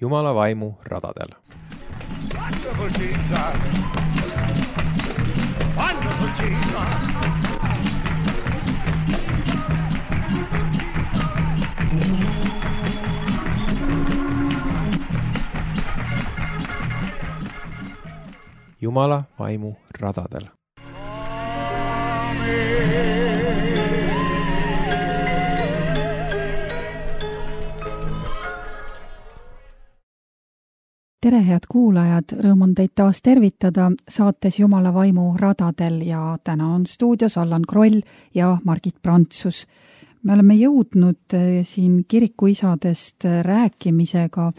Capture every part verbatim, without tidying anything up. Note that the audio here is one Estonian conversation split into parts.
Jumala vaimu radadel. Wonderful Jesus! Wonderful Jesus! Jumala vaimu radadel. Tere, head kuulajad, rõõm on teid taas tervitada saates Jumala vaimu radadel ja täna on stuudios Allan Kroll ja Margit Prantsus. Me oleme jõudnud siin kirikuisadest rääkimisega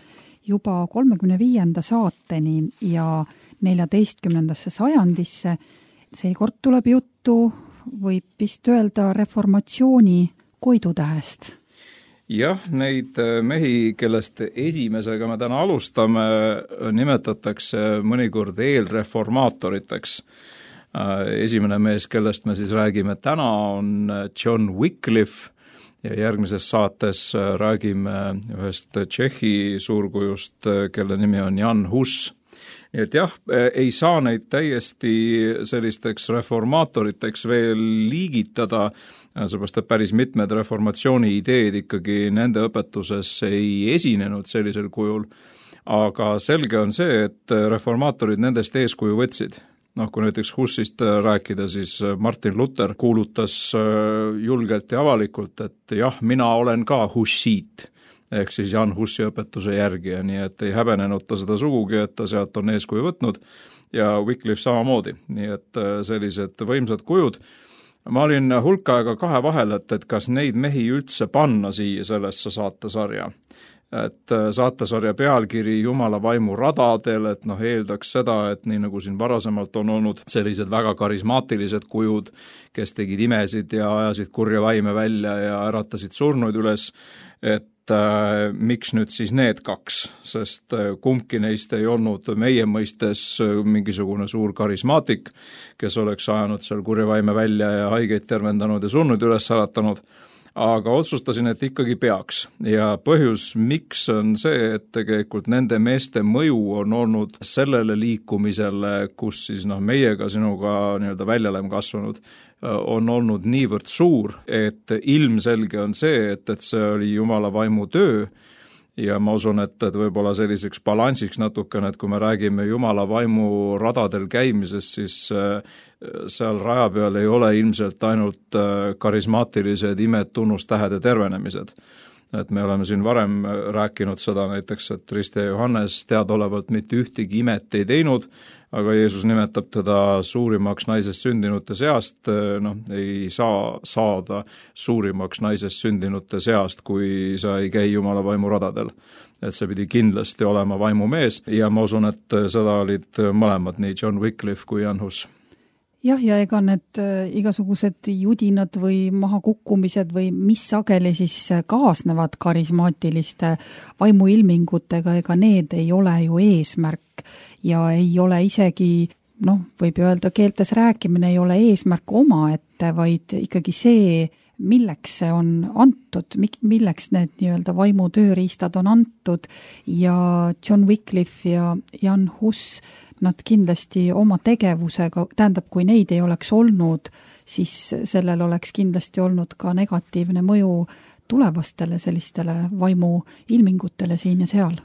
juba kolmekümne viienda saateni ja neljateistkümnendasse sajandisse. Seekord tuleb juttu, võib vist öelda, reformatsiooni koidutähest. Jah, neid mehi, kellest esimesega me täna alustame, nimetatakse mõnikord eelreformaatoriteks. Esimene mees, kellest me siis räägime täna, on John Wycliffe ja järgmises saates räägime ühest Tšehhi suurkujust, kelle nimi on Jan Hus. Nii et jah, ei saa neid täiesti sellisteks reformaatoriteks veel liigitada, seepärast, et päris mitmed reformatsiooni ideed ikkagi nende õpetuses ei esinenud sellisel kujul, aga selge on see, et reformaatorid nendest eeskuju võtsid. Noh, kui näiteks Hussist rääkida, siis Martin Luther kuulutas julgelt ja avalikult, et jah, mina olen ka hussiit, ehk siis Jan Hussi õpetuse järgija, nii et ei häbenenud ta seda sugugi, et ta sealt on eeskuju võtnud ja Wycliffe samamoodi, nii et sellised võimsad kujud. Ma olin hulk aega kahe vahel, et, et kas neid mehi üldse panna siia sellesse saatesarja. Et saatesarja pealkiri Jumala vaimu radadel, et noh, eeldaks seda, et nii nagu siin varasemalt on olnud sellised väga karismaatilised kujud, kes tegid imesid ja ajasid kurja vaime välja ja äratasid surnuid üles, et äh, miks nüüd siis need kaks, sest kumbki neist ei olnud meie mõistes mingisugune suur karismaatik, kes oleks ajanud seal kurja vaime välja ja haigeid tervendanud ja surnuid üles äratanud. Aga otsustasin, et ikkagi peaks ja põhjus, miks on see, et tegelikult nende meeste mõju on olnud sellele liikumisele, kus siis noh, meiega sinuga nii-öelda välja oleme kasvanud, on olnud niivõrd suur, et ilmselge on see, et, et see oli Jumala vaimu töö ja ma usun, et, et võib-olla selliseks balansiks natukene, et kui me räägime Jumala vaimu radadel käimisest, siis seal raja peal ei ole ilmselt ainult karismaatilised imed, tunnustähed ja tervenemised. Et me oleme siin varem rääkinud seda näiteks, et Rist ja Johannes teadaolevalt mitte ühtegi imet ei teinud, aga Jeesus nimetab teda suurimaks naisest sündinute seast, noh, ei saa saada suurimaks naisest sündinute seast, kui sa ei käi Jumala vaimu radadel. Et see pidi kindlasti olema vaimumees ja ma usun, et seda olid mõlemad, nii John Wycliffe kui Jan Hus. Jah, ja ega need igasugused judinad või mahakukkumised või mis sageli siis kaasnevad karismaatiliste vaimuilmingutega, ega need ei ole ju eesmärk ja ei ole isegi, noh, võib öelda, keeltes rääkimine ei ole eesmärk omaette, vaid ikkagi see, milleks see on antud, milleks need nii-öelda vaimu tööriistad on antud ja John Wycliffe ja Jan Hus, nad kindlasti oma tegevusega, tähendab, kui neid ei oleks olnud, siis sellel oleks kindlasti olnud ka negatiivne mõju tulevastele sellistele vaimu ilmingutele siin ja seal.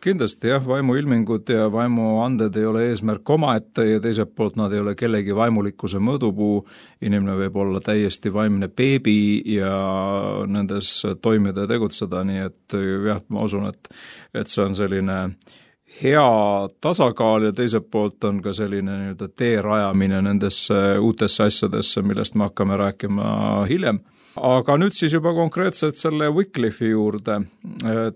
Kindlasti jah, vaimuilmingud ja vaimuanded ei ole eesmärk omaette ja teiselt poolt nad ei ole kellegi vaimulikkuse mõõdupuu. Inimene võib olla täiesti vaimne beebi ja nendes toimida ja tegutseda, nii et jah, ma usun, et, et see on selline hea tasakaal ja teiselt poolt on ka selline nii-öelda tee rajamine nendesse uutesse asjadesse, millest me hakkame rääkima hiljem. Aga nüüd siis juba konkreetselt selle Wycliffe'i juurde.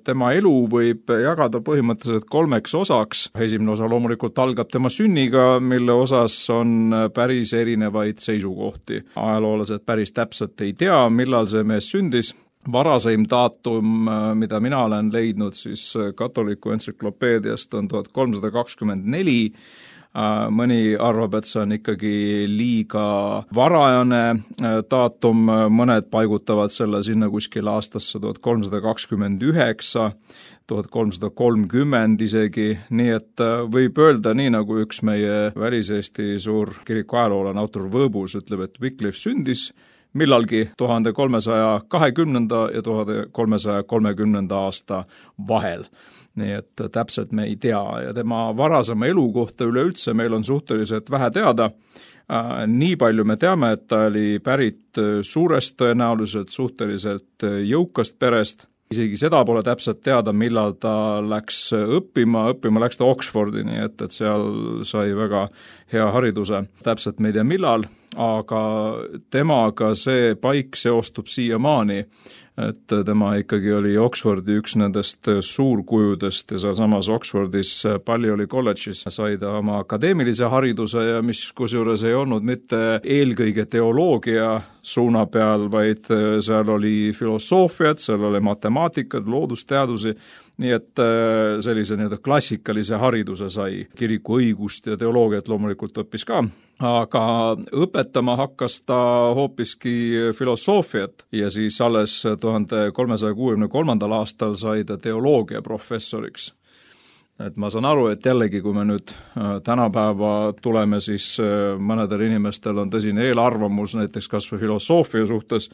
Tema elu võib jagada põhimõtteliselt kolmeks osaks. Esimene osa loomulikult algab tema sünniga, mille osas on päris erinevaid seisukohti. Ajaloolased päris täpselt ei tea, millal see mees sündis. Varaseim daatum, mida mina olen leidnud siis katoliku entsüklopeediast, on tuhat kolmsada kakskümmend neli. Mõni arvab, et see on ikkagi liiga varajane daatum, mõned paigutavad selle sinna kuskil aastasse tuhat kolmsada kakskümmend üheksa. tuhat kolmsada kolmkümmend isegi, nii et võib öelda nii, nagu üks meie väliseesti suur kiriku ajaloolane autor Võõbus ütleb, et Wycliffe sündis millalgi tuhande kolmesaja kahekümnenda ja tuhande kolmesaja kolmekümnenda aasta vahel. Nii et täpselt me ei tea ja tema varasema elu kohta üleüldse meil on suhteliselt vähe teada. Nii palju me teame, et ta oli pärit suurest tõenäoliselt suhteliselt jõukast perest. Isegi seda pole täpselt teada, millal ta läks õppima, õppima läks ta Oxfordi, nii et, et seal sai väga hea hariduse. Täpselt me ei tea millal, aga temaga see paik seostub siiamaani, et tema ikkagi oli Oxfordi üks nendest suurkujudest ja samas Oxfordis Ballioli kolledžis sai ta oma akadeemilise hariduse ja mis kusjuures ei olnud mitte eelkõige teoloogia suuna peal, vaid seal oli filosoofiat, seal oli matemaatikat, loodusteadusi, nii et sellise nii-öelda klassikalise hariduse sai, kiriku õigust ja teoloogiat loomulikult õppis ka. Aga õpetama hakkas ta hoopiski filosoofiat ja siis alles tuhande kolmesaja kuuekümne kolmandal aastal sai ta teoloogia professoriks. Et ma saan aru, et jällegi, kui me nüüd tänapäeva tuleme, siis mõnedel inimestel on tõsine eelarvamus näiteks kas või filosoofia suhtes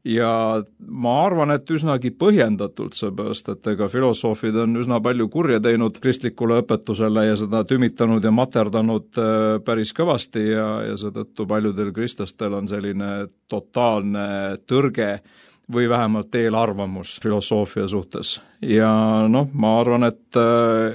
ja ma arvan, et üsnagi põhjendatult, seepärast, et ega filosoofid on üsna palju kurja teinud kristlikule õpetusele ja seda tümitanud ja materdanud päris kõvasti ja, ja seetõttu paljudel kristlastel on selline totaalne tõrge või vähemalt eelarvamus filosoofia suhtes. Ja noh, ma arvan, et,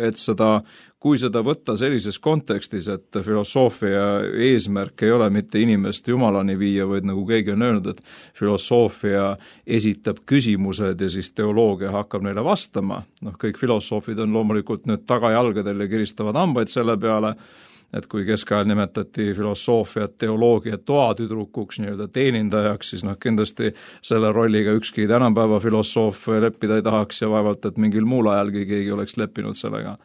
et seda, kui seda võtta sellises kontekstis, et filosoofia eesmärk ei ole mitte inimest jumalani viia, vaid nagu keegi on öelnud, et filosoofia esitab küsimused ja siis teoloogia hakkab neile vastama. Noh, kõik filosoofid on loomulikult nüüd tagajalgadel ja kiristavad hambaid selle peale, et kui keskajal nimetati filosoofiat, teoloogiat toatüdrukuks, nii-öelda teenindajaks, siis noh, kindlasti selle rolliga ükski tänapäeva filosoof leppida ei tahaks ja vaevalt, et mingil muul ajalgi keegi oleks leppinud sellega.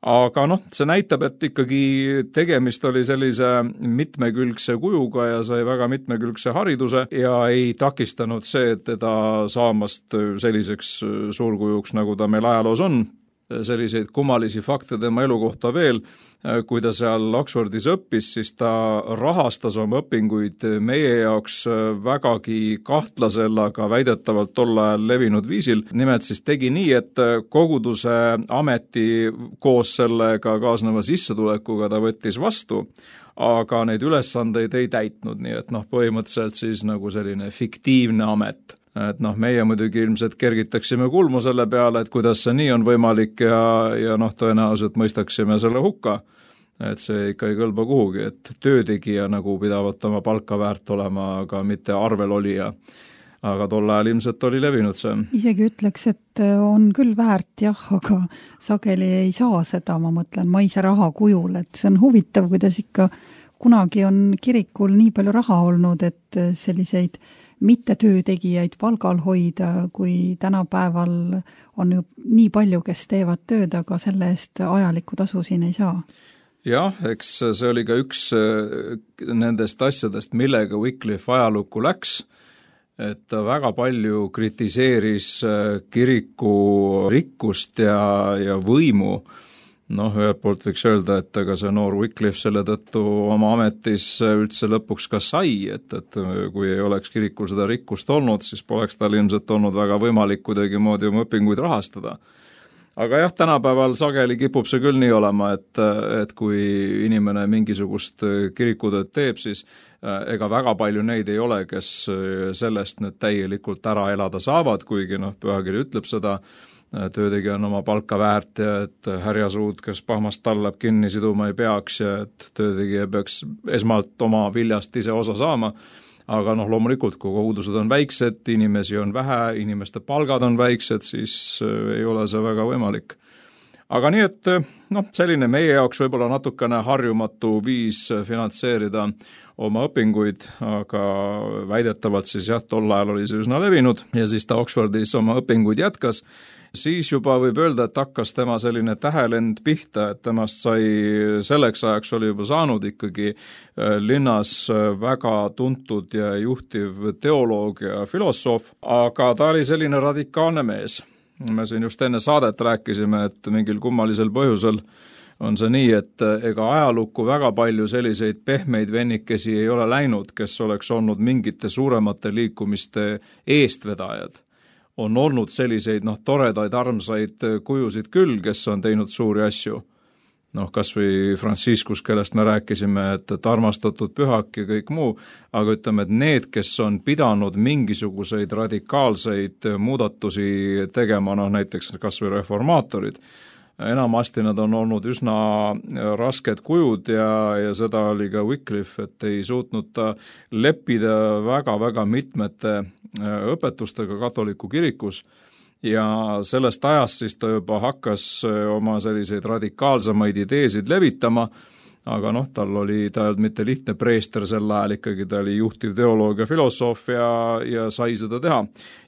Aga noh, see näitab, et ikkagi tegemist oli sellise mitmekülgse kujuga ja sai väga mitmekülgse hariduse ja ei takistanud see, et teda saamast selliseks suurkujuks, nagu ta meil ajaloos on. Selliseid kummalisi fakte tema elu kohta veel, kui ta seal Oxfordis õppis, siis ta rahastas oma õpinguid meie jaoks vägagi kahtlasel, aga väidetavalt tol ajal levinud viisil. Nimelt siis tegi nii, et koguduse ameti koos sellega kaasneva sissetulekuga ta võttis vastu, aga neid ülesandeid ei täitnud, nii et noh, põhimõtteliselt siis nagu selline fiktiivne amet. Et noh, meie muidugi ilmselt kergitaksime kulmu selle peale, et kuidas see nii on võimalik ja, ja noh, tõenäoliselt mõistaksime selle hukka. Et see ikka ei kõlba kuhugi, et töötegija nagu pidavat oma palka väärt olema, aga mitte arvel olija. Aga tol ajal ilmselt oli levinud see. Isegi ütleks, et on küll väärt jah, aga sageli ei saa seda, ma mõtlen, maise raha kujul, et see on huvitav, kuidas ikka kunagi on kirikul nii palju raha olnud, et selliseid mitte töötegijaid palgal hoida, kui tänapäeval on ju nii palju, kes teevad tööd, aga selle eest ajalikku tasu siin ei saa. Jah, eks see oli ka üks nendest asjadest, millega Wycliffe ajalukku läks, et ta väga palju kritiseeris kiriku rikkust ja, ja võimu. Noh, ühelt poolt võiks öelda, et aga see noor Wycliffe selle tõttu oma ametis üldse lõpuks ka sai, et, et kui ei oleks kirikul seda rikkust olnud, siis poleks tal ilmselt olnud väga võimalik kuidagi moodi oma õpinguid rahastada. Aga jah, tänapäeval sageli kipub see küll nii olema, et, et kui inimene mingisugust kirikutööd teeb, siis ega väga palju neid ei ole, kes sellest nüüd täielikult ära elada saavad, kuigi noh, pühakiri ütleb seda, töötegija on oma palka väärt ja et härjasuud, kes pahmast tallab kinni siduma ei peaks ja et töötegija peaks esmalt oma viljast ise osa saama. Aga noh, loomulikult, kui kogudused on väiksed, inimesi on vähe, inimeste palgad on väiksed, siis ei ole see väga võimalik. Aga nii, et noh, selline meie jaoks võib-olla natukene harjumatu viis finantseerida oma õpinguid, aga väidetavalt siis jah, tol ajal oli see üsna levinud ja siis ta Oxfordis oma õpinguid jätkas. Siis juba võib öelda, et hakkas tema selline tähelend pihta, et temast sai selleks ajaks oli juba saanud ikkagi linnas väga tuntud ja juhtiv teoloog ja filosoof, aga ta oli selline radikaalne mees. me siin just enne saadet rääkisime, et mingil kummalisel põhjusel on see nii, et ega ajalukku väga palju selliseid pehmeid vennikesi ei ole läinud, kes oleks olnud mingite suuremate liikumiste eestvedajad. On olnud selliseid noh, toredaid, armsaid kujusid küll, kes on teinud suuri asju. Noh, kas või Franciscus, kellest me rääkisime, et, et armastatud pühak ja kõik muu, aga ütleme, et need, kes on pidanud mingisuguseid radikaalseid muudatusi tegema, noh näiteks kas või reformaatorid, enamasti nad on olnud üsna rasked kujud ja, ja seda oli ka Wycliffe, et ei suutnud ta leppida väga-väga mitmete õpetustega katoliku kirikus ja sellest ajast siis ta juba hakkas oma selliseid radikaalsemaid ideesid levitama, aga noh, tal oli, ta ei olnud mitte lihtne preester sel ajal, ikkagi ta oli juhtiv teoloog ja filosoof ja, ja sai seda teha.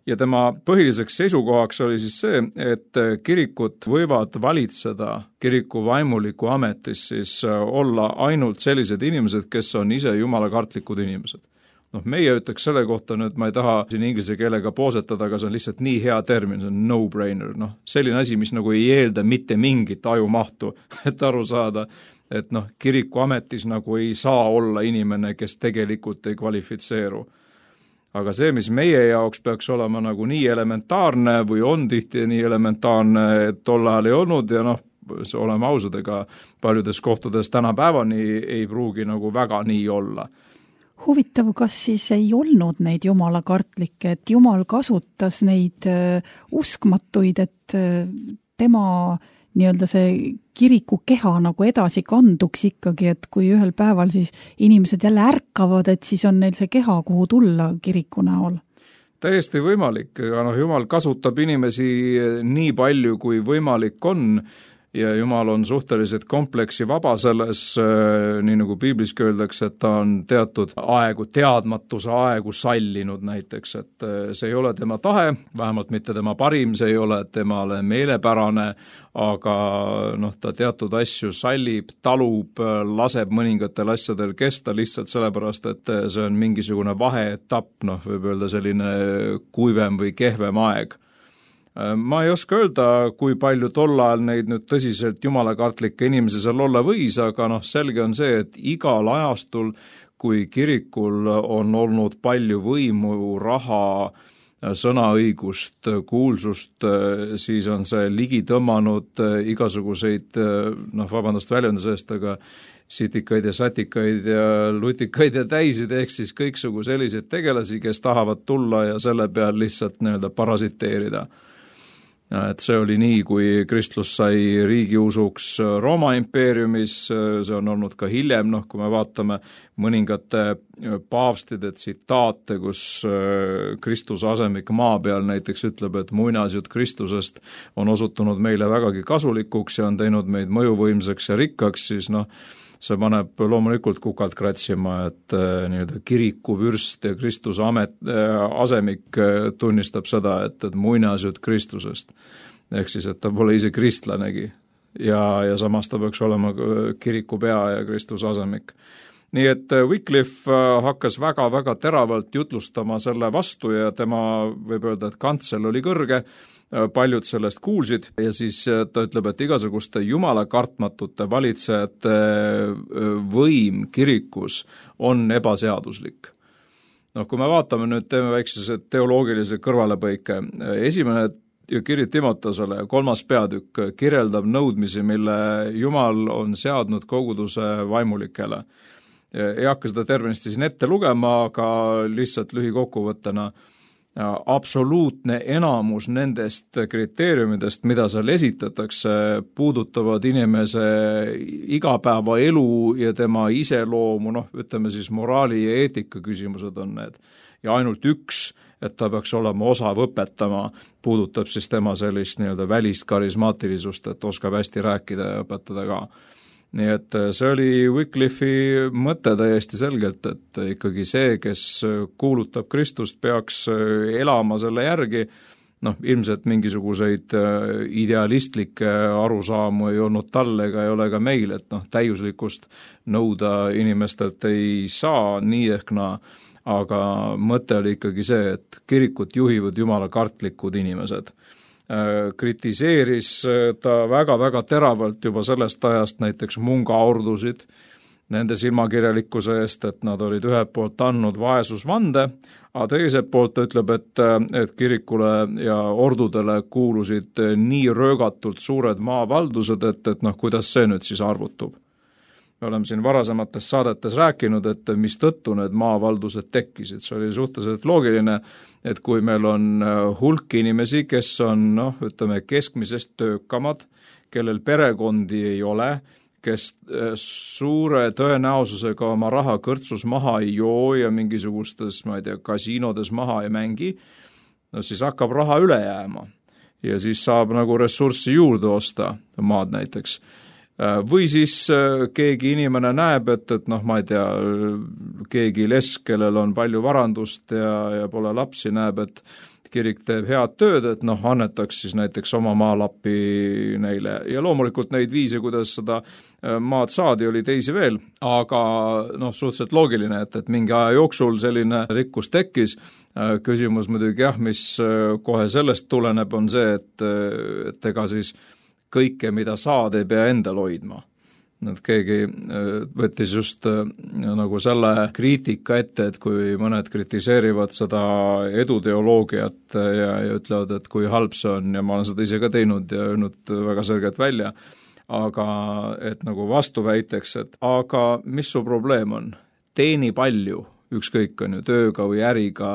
Ja tema põhiliseks seisukohaks oli siis see, et kirikut võivad valitseda kiriku vaimuliku ametis siis olla ainult sellised inimesed, kes on ise jumalakartlikud inimesed. Noh, meie ütleks selle kohta nüüd, ma ei taha siin inglise keelega poosetada, aga see on lihtsalt nii hea termin, see on no-brainer. Noh, selline asi, mis nagu ei eelda mitte mingit ajumahtu, et aru saada, et noh, kiriku ametis nagu ei saa olla inimene, kes tegelikult ei kvalifitseeru. Aga see, mis meie jaoks peaks olema nagu nii elementaarne või on tihti nii elementaarne, et tol ajal ei olnud ja noh, oleme ausad, ega paljudes kohtades tänapäevani ei pruugi nagu väga nii olla. Huvitav, kas siis ei olnud neid jumalakartlikke, et jumal kasutas neid uh, uskmatuid, et uh, tema nii-öelda see kiriku keha nagu edasi kanduks ikkagi, et kui ühel päeval siis inimesed jälle ärkavad, et siis on neil see keha, kuhu tulla kiriku näol? Täiesti võimalik, aga noh, jumal kasutab inimesi nii palju, kui võimalik on, ja Jumal on suhteliselt kompleksi vaba selles, nii nagu piibliski öeldakse, et ta on teatud aegu, teadmatuse aegu sallinud näiteks, et see ei ole tema tahe, vähemalt mitte tema parim, see ei ole temale meelepärane, aga noh, ta teatud asju sallib, talub, laseb mõningatel asjadel kesta lihtsalt sellepärast, et see on mingisugune vaheetapp, noh, võib öelda selline kuivem või kehvem aeg. Ma ei oska öelda, kui palju tol ajal neid nüüd tõsiselt jumalakartlikke inimesi seal olla võis, aga noh, selge on see, et igal ajastul, kui kirikul on olnud palju võimu, raha, sõnaõigust, kuulsust, siis on see ligi tõmmanud igasuguseid, noh, vabandust väljenduse eest, aga sitikaid ja satikaid ja lutikaid ja täisid, ehk siis kõiksugu selliseid tegelasi, kes tahavad tulla ja selle peal lihtsalt nii-öelda parasiteerida. Et see oli nii, kui kristlus sai riigiusuks Rooma impeeriumis, see on olnud ka hiljem, noh, kui me vaatame mõningate paavstide tsitaate, kus Kristuse asemik maa peal näiteks ütleb, et muinasjutt Kristusest on osutunud meile vägagi kasulikuks ja on teinud meid mõjuvõimsaks ja rikkaks, siis noh, see paneb loomulikult kukalt kratsima, et nii-öelda kiriku vürst ja Kristuse amet, asemik tunnistab seda, et, et muinasjutt Kristusest. Ehk siis, et ta pole ise kristlanegi ja, ja samas ta peaks olema kiriku pea ja Kristuse asemik. Nii et Wycliffe hakkas väga-väga teravalt jutlustama selle vastu ja tema võib öelda, et kantsel oli kõrge, paljud sellest kuulsid ja siis ta ütleb, et igasuguste jumalakartmatute valitsejate võim kirikus on ebaseaduslik. Noh, kui me vaatame nüüd, teeme väikse teoloogilise kõrvalepõike, esimene kiri Timotosele, kolmas peatükk, kirjeldab nõudmisi, mille Jumal on seadnud koguduse vaimulikele. Ei hakka seda tervenisti siin ette lugema, aga lihtsalt lühikokkuvõttena absoluutne enamus nendest kriteeriumidest, mida seal esitatakse, puudutavad inimese igapäevaelu ja tema iseloomu, noh, ütleme siis moraali ja eetika küsimused on need. Ja ainult üks, et ta peaks olema osav õpetama, puudutab siis tema sellist nii-öelda välist karismaatilisust, et oskab hästi rääkida ja õpetada ka. Nii et see oli Wycliffe'i mõte täiesti selgelt, et ikkagi see, kes kuulutab Kristust, peaks elama selle järgi, noh, ilmselt mingisuguseid idealistlikke arusaamu ei olnud tal ega ei ole ka meil, et noh, täiuslikkust nõuda inimestelt ei saa nii ehk naa, aga mõte oli ikkagi see, et kirikut juhivad jumalakartlikud inimesed. kritiseeris ta väga-väga teravalt juba sellest ajast näiteks Munga ordusid, nende silmakirjalikkuse eest, et nad olid ühelt poolt andnud vaesusvande, aga teiselt poolt ütleb, et, et kirikule ja ordudele kuulusid nii röögatult suured maavaldused, et, et noh, kuidas see nüüd siis arvutub. Me oleme siin varasemates saadetes rääkinud, et mis tõttu need maavaldused tekkisid. See oli suhteliselt loogiline, et kui meil on hulk inimesi, kes on noh, ütleme, keskmisest töökamad, kellel perekondi ei ole, kes suure tõenäosusega oma raha kõrtsus maha ei joo ja mingisugustes, ma ei tea, kasiinodes maha ei mängi, no siis hakkab raha üle jääma ja siis saab nagu ressurssi juurde osta, maad näiteks. Või siis keegi inimene näeb, et, et noh, ma ei tea, keegi lesk, kellel on palju varandust ja, ja pole lapsi, näeb, et kirik teeb head tööd, et noh, annetaks siis näiteks oma maalappi neile. Ja loomulikult neid viise, kuidas seda maad saadi, oli teisi veel, aga noh, suhteliselt loogiline, et, et mingi aja jooksul selline rikkus tekkis. Küsimus muidugi jah, mis kohe sellest tuleneb, on see, et, et ega siis kõike, mida saad, ei pea endal hoidma. Et keegi võttis just nagu selle kriitika ette, et kui mõned kritiseerivad seda eduteoloogiat ja, ja ütlevad, et kui halb see on ja ma olen seda ise ka teinud ja öelnud väga selgelt välja, aga et nagu vastuväiteks, et aga mis su probleem on? Teeni palju, ükskõik on ju tööga või äriga,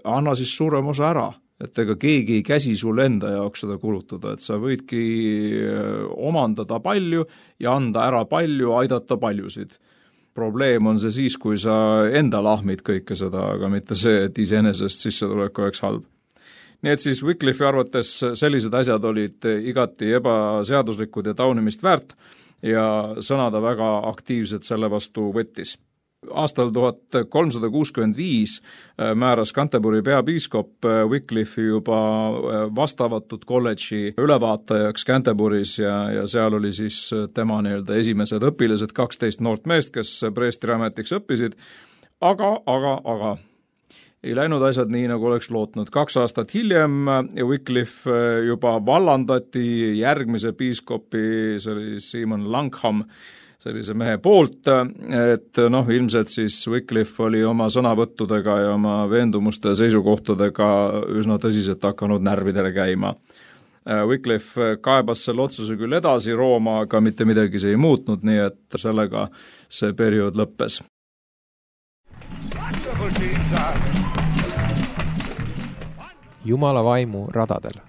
anna siis suurem osa ära. Et ega keegi ei käsi sulle enda jaoks seda kulutada, et sa võidki omandada palju ja anda ära palju, aidata paljusid. Probleem on see siis, kui sa enda lahmid kõike seda, aga mitte see, et iseenesest sissetulek oleks halb. Nii et siis Wycliffe arvates sellised asjad olid igati ebaseaduslikud ja taunimist väärt ja sõna ta väga aktiivselt selle vastu võttis. Aastal tuhat kolmsada kuuskümmend viis määras Canterbury peapiiskop Wycliffe'i juba vastavatud kolledži ülevaatajaks Canterbury's ja, ja seal oli siis tema nii-öelda esimesed õpilased, kaksteist noort meest, kes preestri ametiks õppisid, aga, aga, aga ei läinud asjad nii, nagu oleks lootnud. Kaks aastat hiljem Wycliffe juba vallandati järgmise piiskopi, see oli Simon Langham, sellise mehe poolt, et noh, ilmselt siis Wycliffe oli oma sõnavõttudega ja oma veendumuste ja seisukohtadega üsna tõsiselt hakanud närvidele käima. Wycliffe kaebas selle otsuse küll edasi Rooma, aga mitte midagi see ei muutnud, nii et sellega see periood lõppes. Jumala vaimu radadel.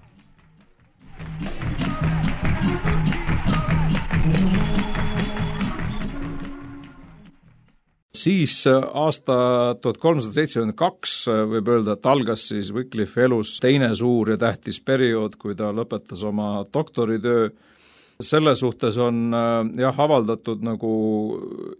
Siis aasta tuhat kolmsada seitsekümmend kaks võib öelda, et algas siis Wycliffe elus teine suur ja tähtis periood, kui ta lõpetas oma doktoritöö. Selle suhtes on jah avaldatud nagu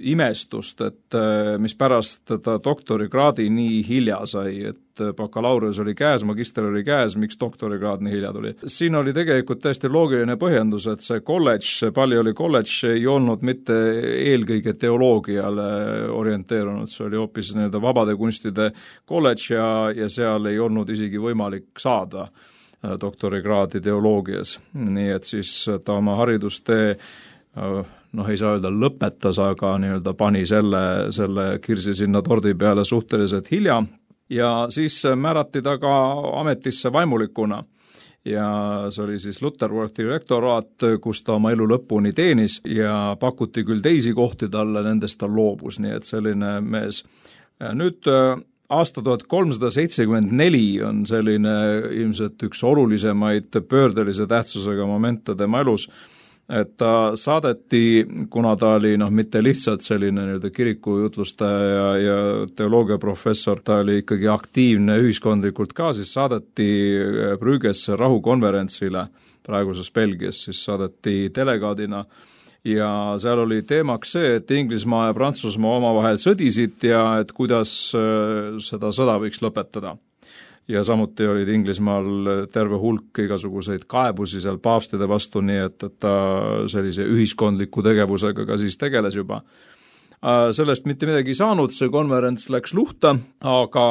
imestust, et mis pärast ta doktorikraadi nii hilja sai, et bakalaureus oli käes, magister oli käes, miks doktorikraad nii hilja tuli. Siin oli tegelikult täiesti loogiline põhjendus, et see kolledž, see Ballioli kolledž ei olnud mitte eelkõige teoloogiale orienteerunud, see oli hoopis nii-öelda vabade kunstide kolledž ja, ja seal ei olnud isegi võimalik saada doktorikraadi teoloogias, nii et siis ta oma haridustee noh, ei saa öelda lõpetas, aga nii-öelda pani selle, selle kirsi sinna tordi peale suhteliselt hilja ja siis määrati ta ka ametisse vaimulikuna ja see oli siis Lutterworthi rektoraat, kus ta oma elu lõpuni teenis ja pakuti küll teisi kohti talle, nendest ta loobus, nii et selline mees. Nüüd aasta tuhat kolmsada seitsekümmend neli on selline ilmselt üks olulisemaid pöördelise tähtsusega momente tema elus, et ta saadeti, kuna ta oli noh, mitte lihtsalt selline nii-öelda kirikujutlustaja ja, ja teoloogiaprofessor, ta oli ikkagi aktiivne ühiskondlikult ka, siis saadeti Brüggesse rahukonverentsile, praeguses Belgias, siis saadeti delegaadina ja seal oli teemaks see, et Inglismaa ja Prantsusmaa omavahel sõdisid ja et kuidas seda sõda võiks lõpetada. Ja samuti olid Inglismaal terve hulk igasuguseid kaebusi seal paavstide vastu, nii et, et ta sellise ühiskondliku tegevusega ka siis tegeles juba. Sellest mitte midagi saanud, see konverents läks luhta, aga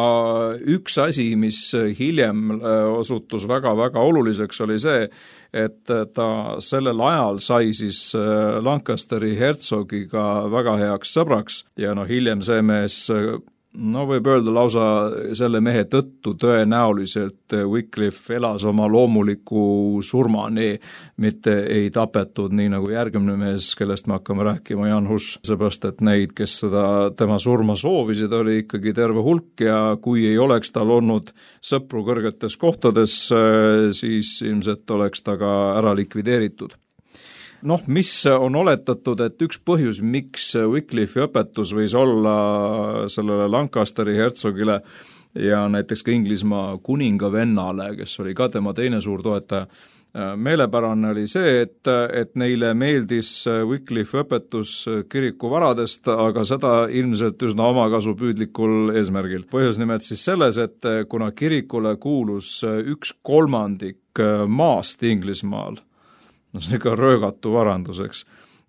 üks asi, mis hiljem osutus väga-väga oluliseks, oli see, et ta sellel ajal sai siis Lancasteri hertsogiga väga heaks sõbraks ja no hiljem see mees, no võib öelda lausa selle mehe tõttu tõenäoliselt Wycliffe elas oma loomuliku surmani, mitte ei tapetud nii nagu järgmine mees, kellest me hakkame rääkima, Jan Hus, seepärast et neid, kes seda tema surma soovisid, oli ikkagi terve hulk ja kui ei oleks tal olnud sõpru kõrgetes kohtades, siis ilmselt oleks ta ka ära likvideeritud. Noh, mis on oletatud, et üks põhjus, miks Wycliffe'i õpetus võis olla sellele Lancasteri hertsogile ja näiteks ka Inglismaa kuninga vennale, kes oli ka tema teine suur toetaja, meelepärane oli see, et, et neile meeldis Wycliffe'i õpetus kiriku varadest, aga seda ilmselt üsna omakasupüüdlikul eesmärgil. Põhjus nimelt siis selles, et kuna kirikule kuulus üks kolmandik maast Inglismaal, no see ka röögatu varanduseks.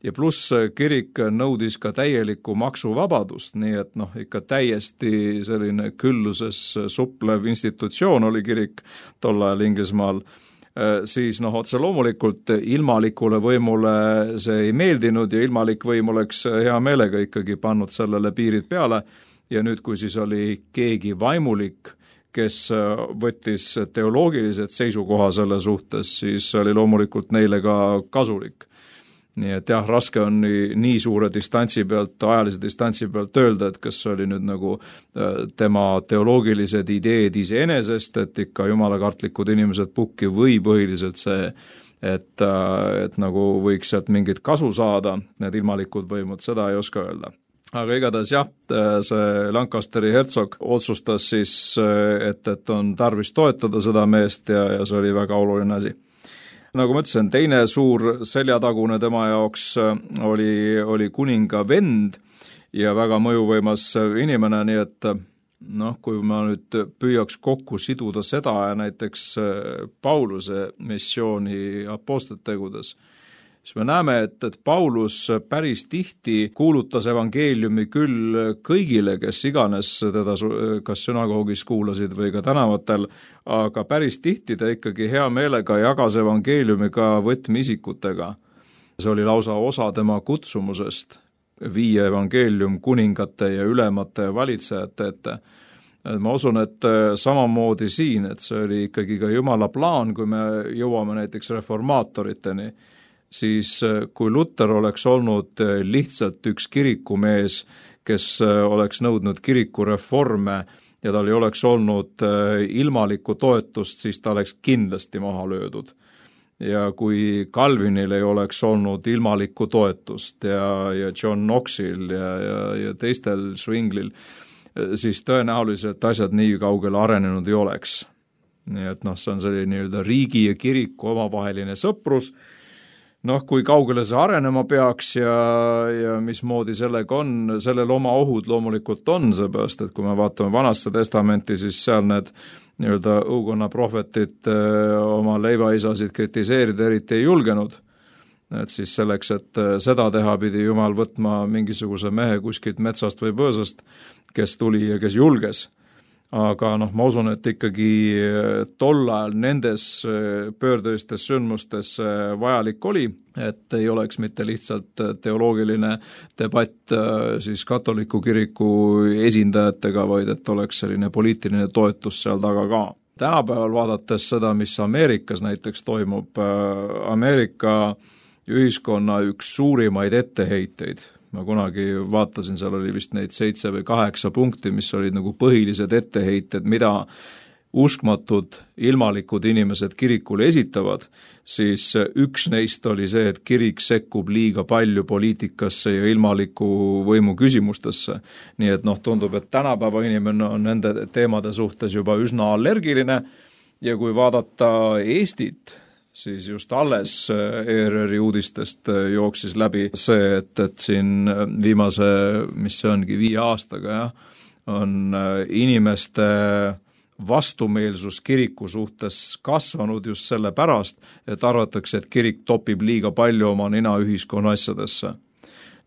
Ja pluss kirik nõudis ka täielikku maksuvabadust, nii et noh, ikka täiesti selline külluses suplev institutsioon oli kirik tol ajal Inglismaal, siis noh, otse loomulikult ilmalikule võimule see ei meeldinud ja ilmalik võim oleks hea meelega ikkagi pannud sellele piirid peale ja nüüd, kui siis oli keegi vaimulik, kes võttis teoloogilised seisukoha selle suhtes, siis oli loomulikult neile ka kasulik. Nii et jah, raske on nii, nii suure distantsi pealt, ajalise distantsi pealt öelda, et kas oli nüüd nagu tema teoloogilised ideed iseenesest, et ikka jumalakartlikud inimesed pukki või põhiliselt see, et, et nagu võiks sealt mingit kasu saada, need ilmalikud võimud, seda ei oska öelda. Aga igatahes jah, see Lancasteri hertsog otsustas siis, et, et on tarvis toetada seda meest ja, ja see oli väga oluline asi. Nagu ma ütlesin, teine suur seljatagune tema jaoks oli, oli kuninga vend ja väga mõjuvõimas inimene, nii et noh, kui ma nüüd püüaks kokku siduda seda ja näiteks Pauluse missiooni apostlitegudes, siis me näeme, et, et Paulus päris tihti kuulutas evangeeliumi küll kõigile, kes iganes teda kas sünagoogis kuulasid või ka tänavatel, aga päris tihti ta ikkagi hea meelega jagas evangeeliumi ka võtmeisikutega. See oli lausa osa tema kutsumusest viia evangeelium kuningate ja ülemate valitsejate ette. Ma usun, et samamoodi siin, et see oli ikkagi ka Jumala plaan, kui me jõuame näiteks reformaatoriteni, siis kui Luther oleks olnud lihtsalt üks kirikumees, kes oleks nõudnud kirikureforme ja tal ei oleks olnud ilmalikku toetust, siis ta oleks kindlasti maha löödud. Ja kui Calvinil ei oleks olnud ilmalikku toetust ja, ja John Knoxil ja, ja, ja teistel Zwinglil, siis tõenäoliselt asjad nii kaugele arenenud ei oleks. Nii et noh, see on selline nii-öelda riigi ja kiriku omavaheline sõprus. Noh, kui kaugele see arenema peaks ja, ja mismoodi sellega on, sellel oma ohud loomulikult on, seepärast, et kui me vaatame Vanasse testamenti, siis seal need nii-öelda õukonna prohvetid oma leivaisasid kritiseerida eriti ei julgenud. Et siis selleks, et seda teha, pidi Jumal võtma mingisuguse mehe kuskilt metsast või põõsast, kes tuli ja kes julges. Aga noh, ma usun, et ikkagi tol ajal nendes pöördelistes sündmustes vajalik oli, et ei oleks mitte lihtsalt teoloogiline debatt siis katoliku kiriku esindajatega, vaid et oleks selline poliitiline toetus seal taga ka. Tänapäeval vaadates seda, mis Ameerikas näiteks toimub, Ameerika ühiskonna üks suurimaid etteheiteid, ma kunagi vaatasin, seal oli vist neid seitse või kaheksa punkti, mis olid nagu põhilised etteheited, mida uskmatud ilmalikud inimesed kirikule esitavad, siis üks neist oli see, et kirik sekkub liiga palju poliitikasse ja ilmaliku võimu küsimustesse. Nii et noh, tundub, et tänapäeva inimene on nende teemade suhtes juba üsna allergiline ja kui vaadata Eestit, siis just alles E R R-i uudistest jooksis läbi see, et, et siin viimase, mis see ongi, viie aastaga, jah, on inimeste vastumeelsus kiriku suhtes kasvanud just selle pärast, et arvatakse, et kirik topib liiga palju oma nina ühiskonna asjadesse.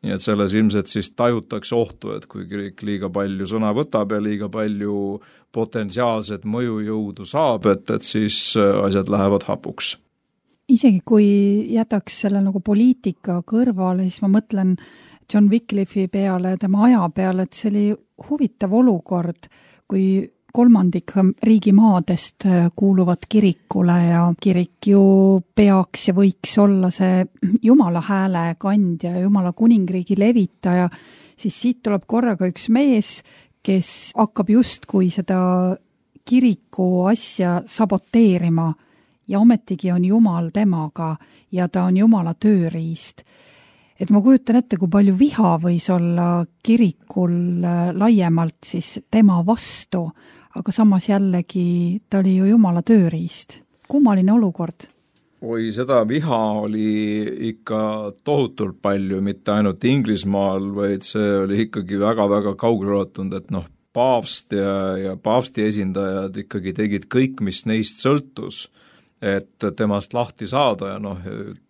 nii et selles ilmselt siis tajutakse ohtu, et kui kirik liiga palju sõna võtab ja liiga palju potentsiaalset mõjujõudu saab, et, et siis asjad lähevad hapuks. Isegi kui jätaks selle nagu poliitika kõrvale, siis ma mõtlen John Wycliffe'i peale, tema aja peale, et see oli huvitav olukord, kui kolmandik riigimaadest kuuluvad kirikule ja kirik ju peaks ja võiks olla see Jumala hääle kandja ja Jumala kuningriigi levitaja, siis siit tuleb korraga üks mees, kes hakkab justkui seda kiriku asja saboteerima ja ometigi on Jumal temaga ja ta on Jumala tööriist. Et ma kujutan ette, kui palju viha võis olla kirikul laiemalt siis tema vastu, aga samas jällegi ta oli ju Jumala tööriist. Kummaline olukord? Oi, seda viha oli ikka tohutult palju, mitte ainult Inglismaal, vaid see oli ikkagi väga-väga kaugeleulatunud, et noh, paavst ja, ja paavsti esindajad ikkagi tegid kõik, mis neist sõltus, et temast lahti saada ja noh,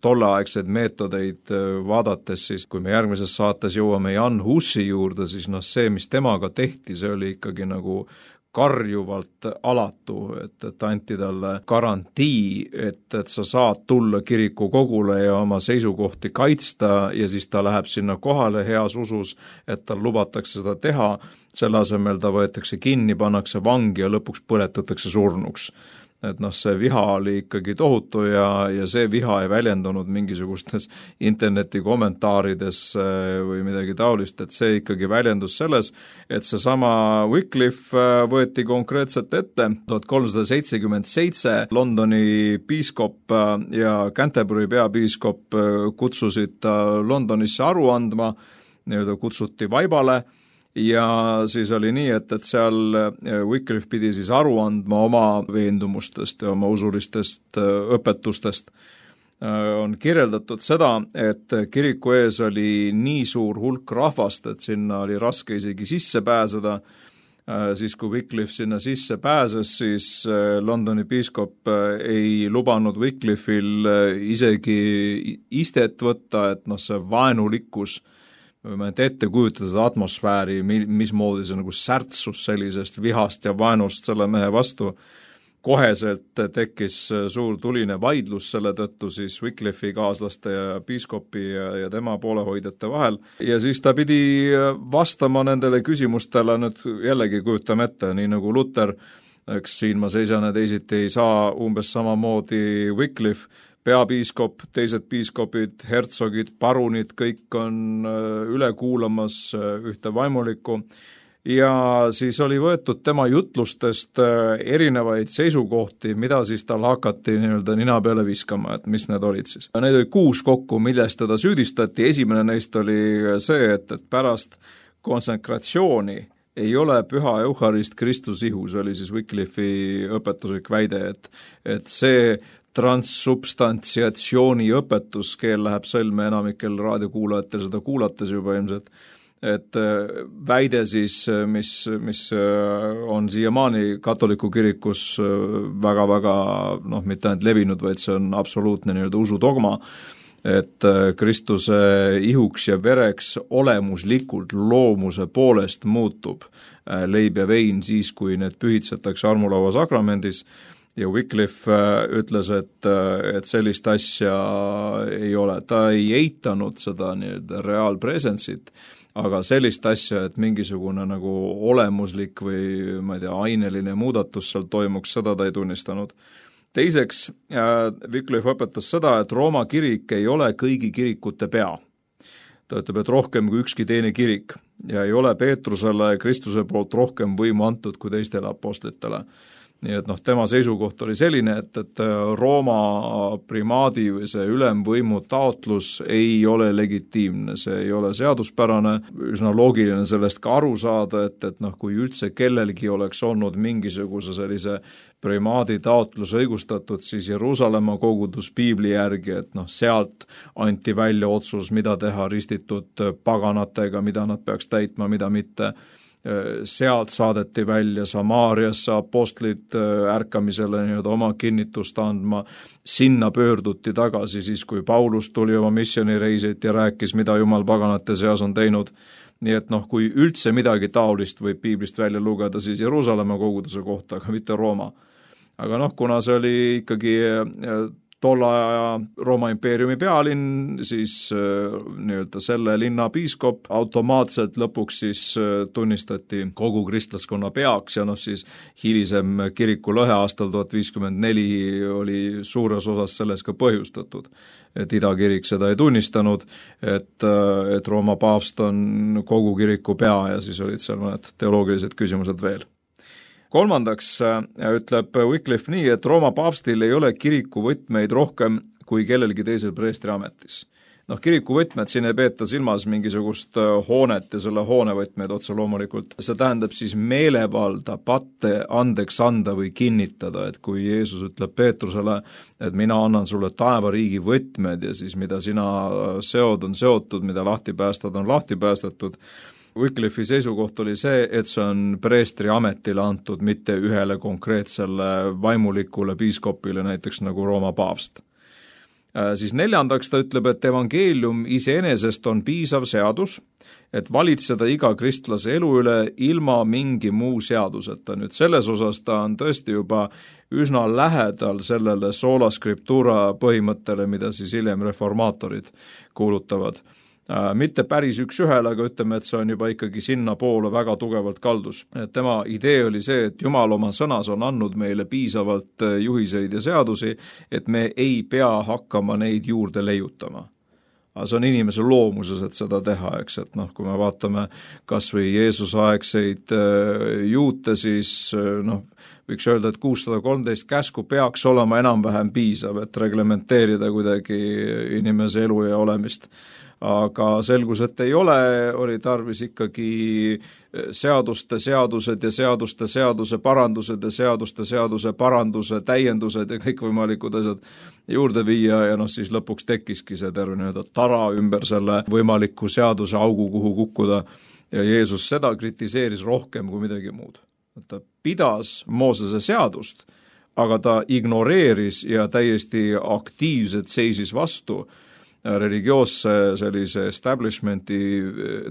tolleaegseid meetodeid vaadates siis, kui me järgmises saates jõuame Jan Hussi juurde, siis noh, see, mis temaga tehti, see oli ikkagi nagu karjuvalt alatu, et, et anti talle garantii, et, et sa saad tulla kiriku kogule ja oma seisukohti kaitsta ja siis ta läheb sinna kohale heas usus, et tal lubatakse seda teha, selle asemel ta võetakse kinni, pannakse vangi ja lõpuks põletatakse surnuks. Et noh, see viha oli ikkagi tohutu ja, ja see viha ei väljendunud mingisugustes interneti kommentaarides või midagi taolist, et see ikkagi väljendus selles, et see sama Wycliffe võeti konkreetselt ette tuhat kolmsada seitsekümmend seitse, Londoni piiskop ja Canterbury peapiiskop kutsusid ta Londonisse aru andma, nii-öelda kutsuti vaibale, ja siis oli nii, et, et seal Wycliffe pidi siis aru andma oma veendumustest ja oma usulistest õpetustest. On kirjeldatud seda, et kiriku ees oli nii suur hulk rahvast, et sinna oli raske isegi sisse pääseda. Siis kui Wycliffe sinna sisse pääses, siis Londoni piiskop ei lubanud Wycliffe'il isegi istet võtta, et noh, see vaenulikkus võime ette kujutada seda atmosfääri, mismoodi see nagu särtsus sellisest vihast ja vaenust selle mehe vastu. Koheselt tekkis suur tuline vaidlus selle tõttu siis Wycliffe'i kaaslaste ja piiskopi ja, ja tema poolehoidjate vahel. Ja siis ta pidi vastama nendele küsimustele, nüüd jällegi kujutame ette, nii nagu Luther, eks siin ma seisan ja teisiti ei saa, umbes samamoodi Wycliffe, peapiiskop, teised piiskopid, hertsogid, parunid, kõik on üle kuulamas ühte vaimulikku ja siis oli võetud tema jutlustest erinevaid seisukohti, mida siis tal hakati nii-öelda nina peale viskama, et mis need olid siis. Need oli kuus kokku, millest teda süüdistati, esimene neist oli see, et, et pärast konsekratsiooni ei ole püha Eucharist Kristus ihu, see oli siis Wycliffe'i õpetuslik väide, et, et see transsubstantsiatsiooni õpetus, keel läheb sõlme enamikel raadiokuulajatel seda kuulates juba ilmselt, et väide siis, mis, mis on siiamaani katoliku kirikus väga-väga, noh, mitte ainult levinud, vaid see on absoluutne nii-öelda usudogma, et Kristuse ihuks ja vereks olemuslikult loomuse poolest muutub leib ja vein siis, kui need pühitsetakse armulaua sakramendis. Ja Wycliffe ütles, et, et sellist asja ei ole. Ta ei eitanud seda nii-öelda reaalpresensit, aga sellist asja, et mingisugune nagu olemuslik või ma ei tea, aineline muudatus seal toimuks, seda ta ei tunnistanud. Teiseks, Wycliffe õpetas seda, et Rooma kirik ei ole kõigi kirikute pea. Ta ütleb, et rohkem kui ükski teine kirik ja ei ole Peetrusele Kristuse poolt rohkem võimu antud kui teistele apostlitele. Nii et noh, tema seisukoht oli selline, et, et Rooma primaadi või see ülemvõimu taotlus ei ole legitiimne, see ei ole seaduspärane, üsna loogiline sellest ka aru saada, et, et noh, kui üldse kellelgi oleks olnud mingisuguse sellise primaadi taotlus õigustatud, siis Jeruusalemma kogudus piibli järgi, et noh, sealt anti välja otsus, mida teha ristitud paganatega, mida nad peaks täitma, mida mitte. sealt saadeti välja Samaariasse apostlid ärkamisele nii-öelda oma kinnitust andma, sinna pöörduti tagasi siis, kui Paulus tuli oma missioonireisit ja rääkis, mida Jumal paganate seas on teinud. Nii et noh, kui üldse midagi taolist võib piiblist välja lugeda, siis Jeruusalemma koguduse kohta, aga mitte Rooma. Aga noh, kuna see oli ikkagi tolle aja Rooma impeeriumi pealinn, siis nii-öelda selle linna piiskop automaatselt lõpuks siis tunnistati kogu kristlaskonna peaks ja noh siis hilisem kiriku lõhe aastal tuhat viiskümmend neli oli suures osas selles ka põhjustatud, et idakirik seda ei tunnistanud, et, et Rooma paavst on kogu kiriku pea ja siis olid seal mõned teoloogilised küsimused veel. Kolmandaks ütleb Wycliffe nii, et Rooma paavstil ei ole kiriku võtmeid rohkem kui kellelgi teisel preestri ametis. Noh, kiriku võtmed siin ei peeta silmas mingisugust hoonet ja selle hoone võtmeid otse loomulikult. See tähendab siis meelevalda, patte andeks anda või kinnitada, et kui Jeesus ütleb Peetrusele, et mina annan sulle taevariigi võtmed ja siis mida sina seod on seotud, mida lahti päästad on lahti päästetud. Wycliffe'i seisukoht oli see, et see on preestri ametile antud, mitte ühele konkreetsele vaimulikule piiskopile, näiteks nagu Rooma paavst. Siis neljandaks ta ütleb, et evangeelium iseenesest on piisav seadus, et valitseda iga kristlase elu üle ilma mingi muu seaduseta. Nüüd selles osas ta on tõesti juba üsna lähedal sellele sola scriptura põhimõttele, mida siis hiljem reformaatorid kuulutavad. Mitte päris üks ühel, aga ütleme, et see on juba ikkagi sinna poole väga tugevalt kaldus. Tema idee oli see, et Jumal oma sõnas on andnud meile piisavalt juhiseid ja seadusi, et me ei pea hakkama neid juurde leiutama. Aga see on inimese loomuses, et seda teha, eks, et noh, kui me vaatame kas või Jeesuse aegseid juute, siis noh, võiks öelda, et kuussada kolmteist käsku peaks olema enam-vähem piisav, et reglementeerida kuidagi inimese elu ja olemist. Aga selgus, et ei ole, oli tarvis ikkagi seaduste seadused ja seaduste seaduse parandused ja seaduste seaduse paranduse täiendused ja kõik võimalikud asjad juurde viia ja noh, siis lõpuks tekkiski see terve nii-öelda tara ümber selle võimaliku seaduse augu, kuhu kukkuda ja Jeesus seda kritiseeris rohkem kui midagi muud. Ta pidas Moosese seadust, aga ta ignoreeris ja täiesti aktiivselt seisis vastu religioosse sellise establishmenti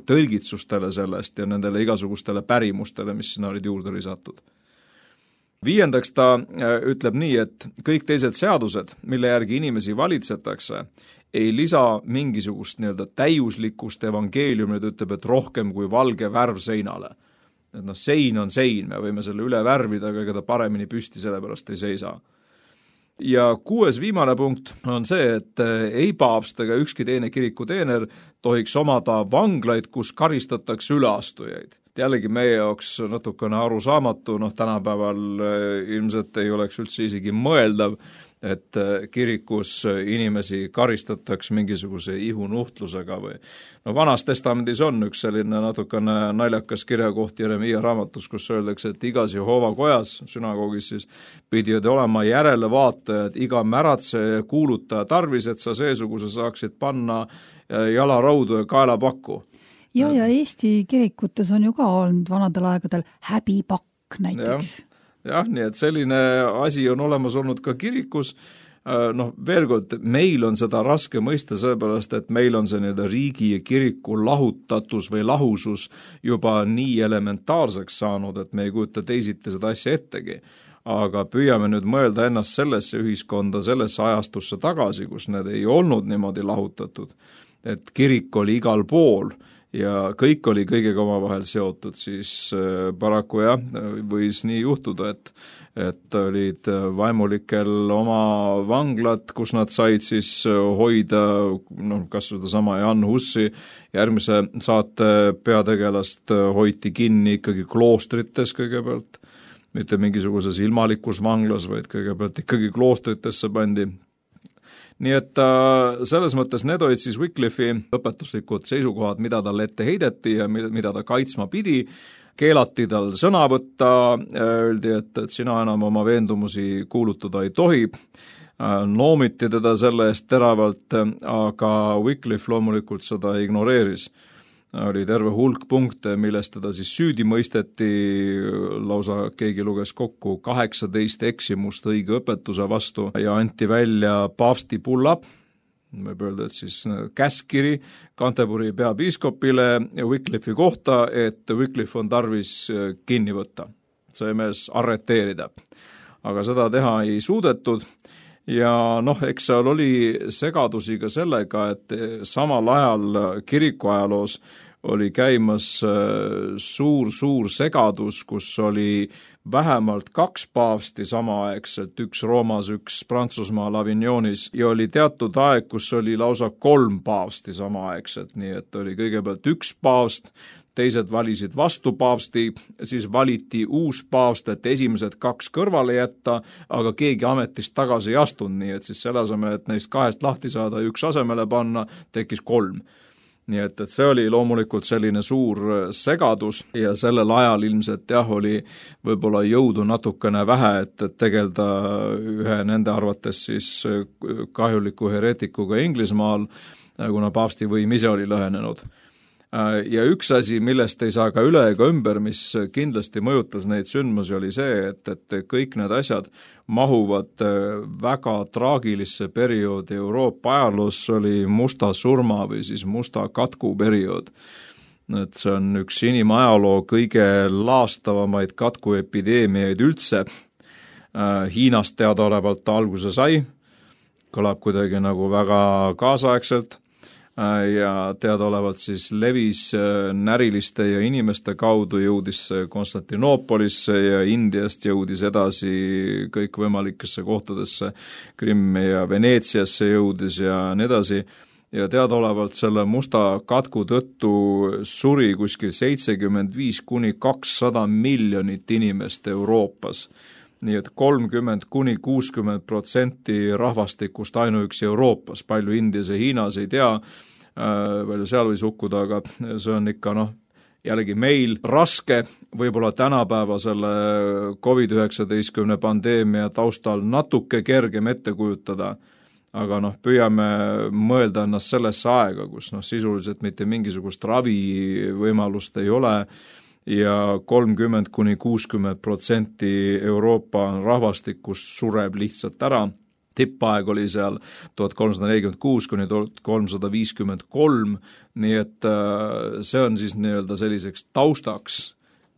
tõlgitsustele sellest ja nendele igasugustele pärimustele, mis sinna olid juurde lisatud. Viiendaks ta ütleb nii, et kõik teised seadused, mille järgi inimesi valitsetakse, ei lisa mingisugust nii-öelda täiuslikust evangeeliumit, ütleb, et rohkem kui valge värv seinale. Et noh, sein on sein, me võime selle üle värvida, aga ega ta paremini püsti sellepärast ei seisa. Ja kuues viimane punkt on see, et ei paavst ega ükski teine kirikuteener tohiks omada vanglaid, kus karistatakse üleastujaid. Jällegi meie jaoks natukene arusaamatu, noh tänapäeval ilmselt ei oleks üldse isegi mõeldav, et kirikus inimesi karistatakse mingisuguse ihunuhtlusega või no vanas testamendis on üks selline natukene naljakas kirjakoht Jeremiia raamatus, kus öeldakse, et igas Jehova kojas, sünagoogis siis, pidid olema järelevaatajad, iga märatseja ja kuulutaja tarvis, et sa seesuguse saaksid panna jalaraudu ja kaelapakku. Ja, ja Eesti kirikutes on ju ka olnud vanadel aegadel häbipakk näiteks. Ja. Jah, nii et selline asi on olemas olnud ka kirikus, noh veel kord, meil on seda raske mõista sellepärast, et meil on see nii-öelda riigi ja kiriku lahutatus või lahusus juba nii elementaarseks saanud, et me ei kujuta teisiti seda asja ettegi. Aga püüame nüüd mõelda ennast sellesse ühiskonda, sellesse ajastusse tagasi, kus need ei olnud niimoodi lahutatud, et kirik oli igal pool ja kõik oli kõigega omavahel seotud, siis paraku jah, võis nii juhtuda, et, et olid vaimulikel oma vanglad, kus nad said siis hoida, noh, kas seda sama Jan Hussi järgmise saate peategelast hoiti kinni ikkagi kloostrites kõigepealt, mitte mingisuguses ilmalikus vanglas, vaid kõigepealt ikkagi kloostritesse pandi. Nii et selles mõttes need olid siis Wycliffe'i õpetuslikud seisukohad, mida tal ette heideti ja mida ta kaitsma pidi. Keelati tal sõna võtta, öeldi, et, et sina enam oma veendumusi kuulutada ei tohi. Noomiti teda selle eest teravalt, aga Wycliffe loomulikult seda ignoreeris. oli terve hulk punkte, millest teda siis süüdi mõisteti, lausa keegi luges kokku kaheksateist eksimust õige õpetuse vastu ja anti välja paavsti bulla, võib öelda, et siis käskkiri Canterbury peapiiskopile Wycliffe'i kohta, et Wycliffe on tarvis kinni võtta, see mees arreteerida. Aga seda teha ei suudetud ja noh, eks seal oli segadusi ka sellega, et samal ajal kirikuajaloos oli käimas suur-suur segadus, kus oli vähemalt kaks paavsti samaaegselt, üks Roomas, üks Prantsusmaal Avignonis ja oli teatud aeg, kus oli lausa kolm paavsti samaaegselt, nii et oli kõigepealt üks paavst, teised valisid vastu paavsti, siis valiti uus paavst, et esimesed kaks kõrvale jätta, aga keegi ametist tagasi ei astunud, nii et siis selle asemel, et neist kahest lahti saada ja üks asemele panna, tekkis kolm. Nii et, et see oli loomulikult selline suur segadus ja sellel ajal ilmselt jah, oli võib-olla jõudu natukene vähe, et, et tegelda ühe nende arvates siis kahjuliku heretikuga Inglismaal, kuna paavsti võim ise oli lõhenenud. Ja üks asi, millest ei saa ka üle ega ümber, mis kindlasti mõjutas neid sündmusi, oli see, et, et kõik need asjad mahuvad väga traagilisse perioodi Euroopa ajaloos, oli musta surma või siis musta katku periood. Et see on üks inimajaloo kõige laastavamaid katkuepideemiaid üldse. Hiinast teadaolevalt ta alguse sai, kõlab kuidagi nagu väga kaasaegselt, ja teadaolevalt siis levis näriliste ja inimeste kaudu, jõudis Konstantinoopolisse ja Indiast jõudis edasi kõikvõimalikesse kohtadesse, Krimmi ja Veneetsiasse jõudis ja nii edasi. Ja teadaolevalt selle musta katku tõttu suri kuskil seitsekümmend viis kuni kakssada miljonit inimest Euroopas. Nii et kolmkümmend kuni kuuskümmend protsenti rahvastikust ainuüksi Euroopas, palju Indias ja Hiinas ei tea, palju seal võis hukkuda, aga see on ikka noh, jällegi meil raske, võib-olla tänapäeva selle covid üheksateist pandeemia taustal natuke kergem ette kujutada, aga noh, püüame mõelda ennast sellesse aega, kus noh, sisuliselt mitte mingisugust ravivõimalust ei ole, ja kolmkümmend kuni kuuskümmend protsenti Euroopa rahvastikust sureb lihtsalt ära. Tippaeg oli seal tuhat kolmsada nelikümmend kuus kuni tuhat kolmsada viiskümmend kolm, nii et see on siis nii-öelda selliseks taustaks,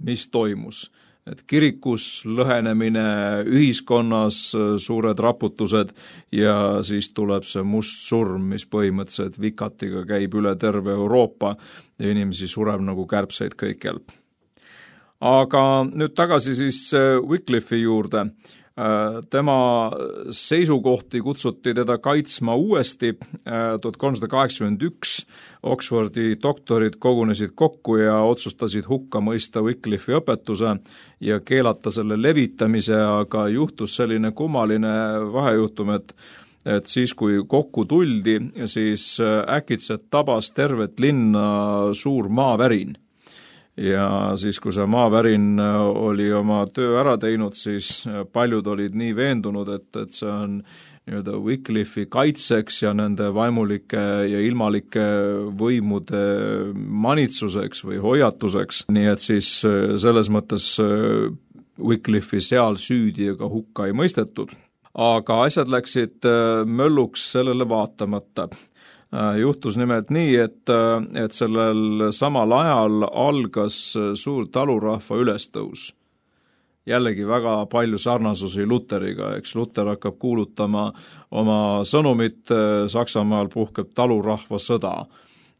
mis toimus. Et kirikus lõhenemine, ühiskonnas suured raputused ja siis tuleb see must surm, mis põhimõtteliselt vikatiga käib üle terve Euroopa ja inimesi sureb nagu kärbseid kõikjal. Aga nüüd tagasi siis Wycliffe'i juurde. Tema seisukohti kutsuti teda kaitsma uuesti. tuhat kolmsada kaheksakümmend üks Oxfordi doktorid kogunesid kokku ja otsustasid hukka mõista Wycliffe'i õpetuse ja keelata selle levitamise, aga juhtus selline kummaline vahejuhtum, et et siis, kui kokku tuldi, siis äkitselt tabas tervet linna suur maavärin. Ja siis, kui see maavärin oli oma töö ära teinud, siis paljud olid nii veendunud, et, et see on nii-öelda Wycliffe'i kaitseks ja nende vaimulike ja ilmalike võimude manitsuseks või hoiatuseks. Nii et siis selles mõttes Wycliffe'i seal süüdi ega hukka ei mõistetud. Aga asjad läksid mölluks sellele vaatamata. Juhtus nimelt nii, et, et sellel samal ajal algas suur talurahva ülestõus. Jällegi väga palju sarnasusi Luteriga, eks Luter hakkab kuulutama oma sõnumit, Saksamaal puhkeb talurahva sõda.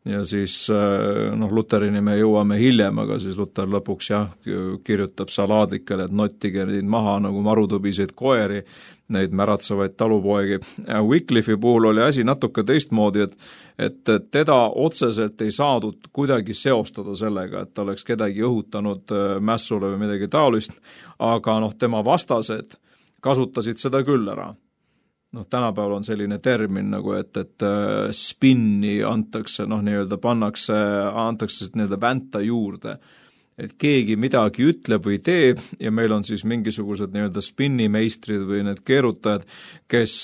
Ja siis noh, Luterini me jõuame hiljem, aga siis Luter lõpuks jah, kirjutab salaadlikele, et nottige neid maha nagu marutubiseid koeri, neid märatsevaid talupoegi. Wycliffe'i puhul oli asi natuke teistmoodi, et, et teda otseselt ei saadud kuidagi seostada sellega, et ta oleks kedagi õhutanud mässule või midagi taolist, aga noh, tema vastased kasutasid seda küll ära. Noh, tänapäeval on selline termin nagu, et, et spinni antakse, noh, nii-öelda pannakse, antakse nii-öelda vänta juurde. et keegi midagi ütleb või teeb ja meil on siis mingisugused nii-öelda spinnimeistrid või need keerutajad, kes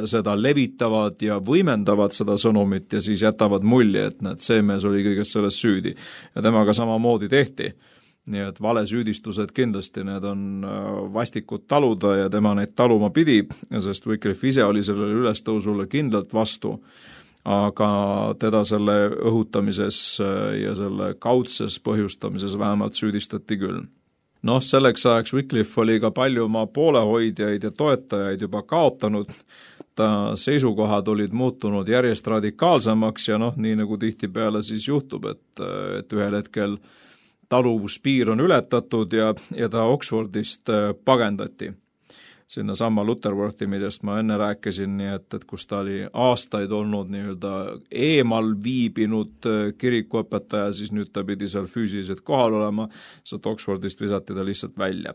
seda levitavad ja võimendavad seda sõnumit ja siis jätavad mulje, et näed, see mees oli kõigest sellest süüdi. Ja temaga samamoodi tehti. Nii et valesüüdistused kindlasti, need on vastikud taluda ja tema neid taluma pidi, sest Wycliffe ise oli sellele ülestõusule kindlalt vastu, aga teda selle õhutamises ja selle kaudses põhjustamises vähemalt süüdistati küll. Noh, selleks ajaks Wycliffe oli ka palju oma poolehoidjaid ja toetajaid juba kaotanud, ta seisukohad olid muutunud järjest radikaalsemaks ja noh, nii nagu tihtipeale siis juhtub, et, et ühel hetkel taluvuspiir on ületatud ja, ja ta Oxfordist pagendati. Sinna sama Lutterworthi, millest ma enne rääkisin, nii et, et kus ta oli aastaid olnud nii-öelda eemal viibinud kirikuõpetaja, siis nüüd ta pidi seal füüsiliselt kohal olema, sest Oxfordist visati ta lihtsalt välja.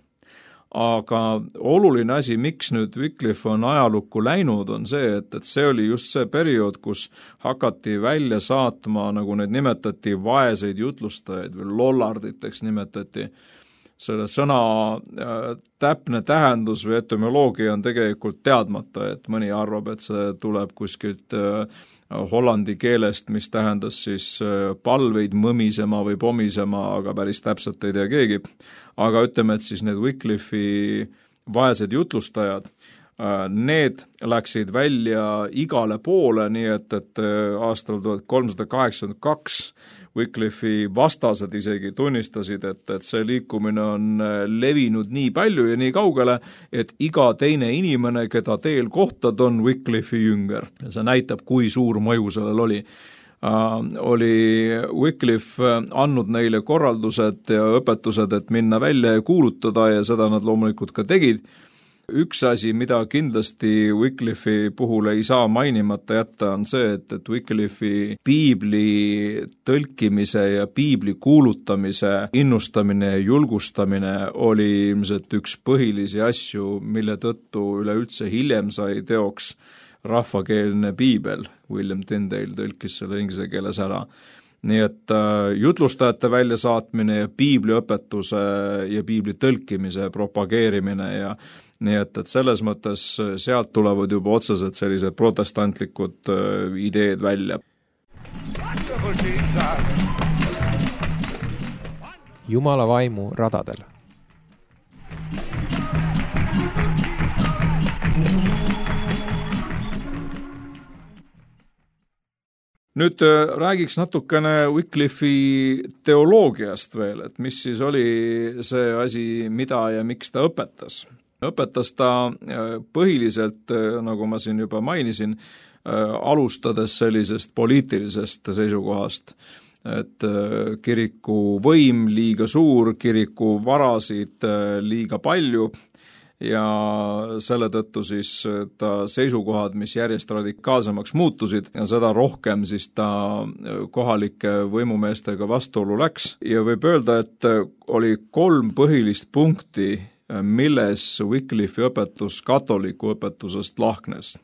Aga oluline asi, miks nüüd Wycliffe on ajalukku läinud, on see, et, et see oli just see periood, kus hakati välja saatma, nagu neid nimetati, vaeseid jutlustajaid või lollarditeks nimetati. Selle sõna täpne tähendus või etümoloogia on tegelikult teadmata, et mõni arvab, et see tuleb kuskilt hollandi keelest, mis tähendas siis palveid mõmisema või pomisema, aga päris täpselt ei tea keegi. Aga ütleme, et siis need Wycliffe'i vaesed jutlustajad, need läksid välja igale poole, nii et, et aastal tuhat kolmsada kaheksakümmend kaks Wycliffe'i vastased isegi tunnistasid, et, et see liikumine on levinud nii palju ja nii kaugele, et iga teine inimene, keda teel kohtad, on Wycliffe'i jünger. Ja see näitab, kui suur mõju sellel oli. Uh, oli Wycliffe andnud neile korraldused ja õpetused, et minna välja ja kuulutada ja seda nad loomulikult ka tegid. Üks asi, mida kindlasti Wycliffe'i puhul ei saa mainimata jätta, on see, et, et Wycliffe'i piibli tõlkimise ja piibli kuulutamise innustamine ja julgustamine oli ilmselt üks põhilisi asju, mille tõttu üleüldse hiljem sai teoks rahvakeelne piibel. William Tyndale tõlkis selle inglise keeles ära. Nii et jutlustajate väljasaatmine ja piibliõpetuse ja piibli tõlkimise propageerimine ja nii et, et selles mõttes sealt tulevad juba otseselt sellised protestantlikud ideed välja. Jumala vaimu radadel. Nüüd räägiks natukene Wycliffe'i teoloogiast veel, et mis siis oli see asi, mida ja miks ta õpetas. Õpetas ta põhiliselt, nagu ma siin juba mainisin, alustades sellisest poliitilisest seisukohast, et kiriku võim liiga suur, kiriku varasid liiga palju ja selle tõttu siis ta seisukohad, mis järjest radikaalsemaks muutusid ja seda rohkem siis ta kohalike võimumeestega vastuolu läks ja võib öelda, et oli kolm põhilist punkti, milles Wycliffe'i õpetus katoliku õpetusest lahknes.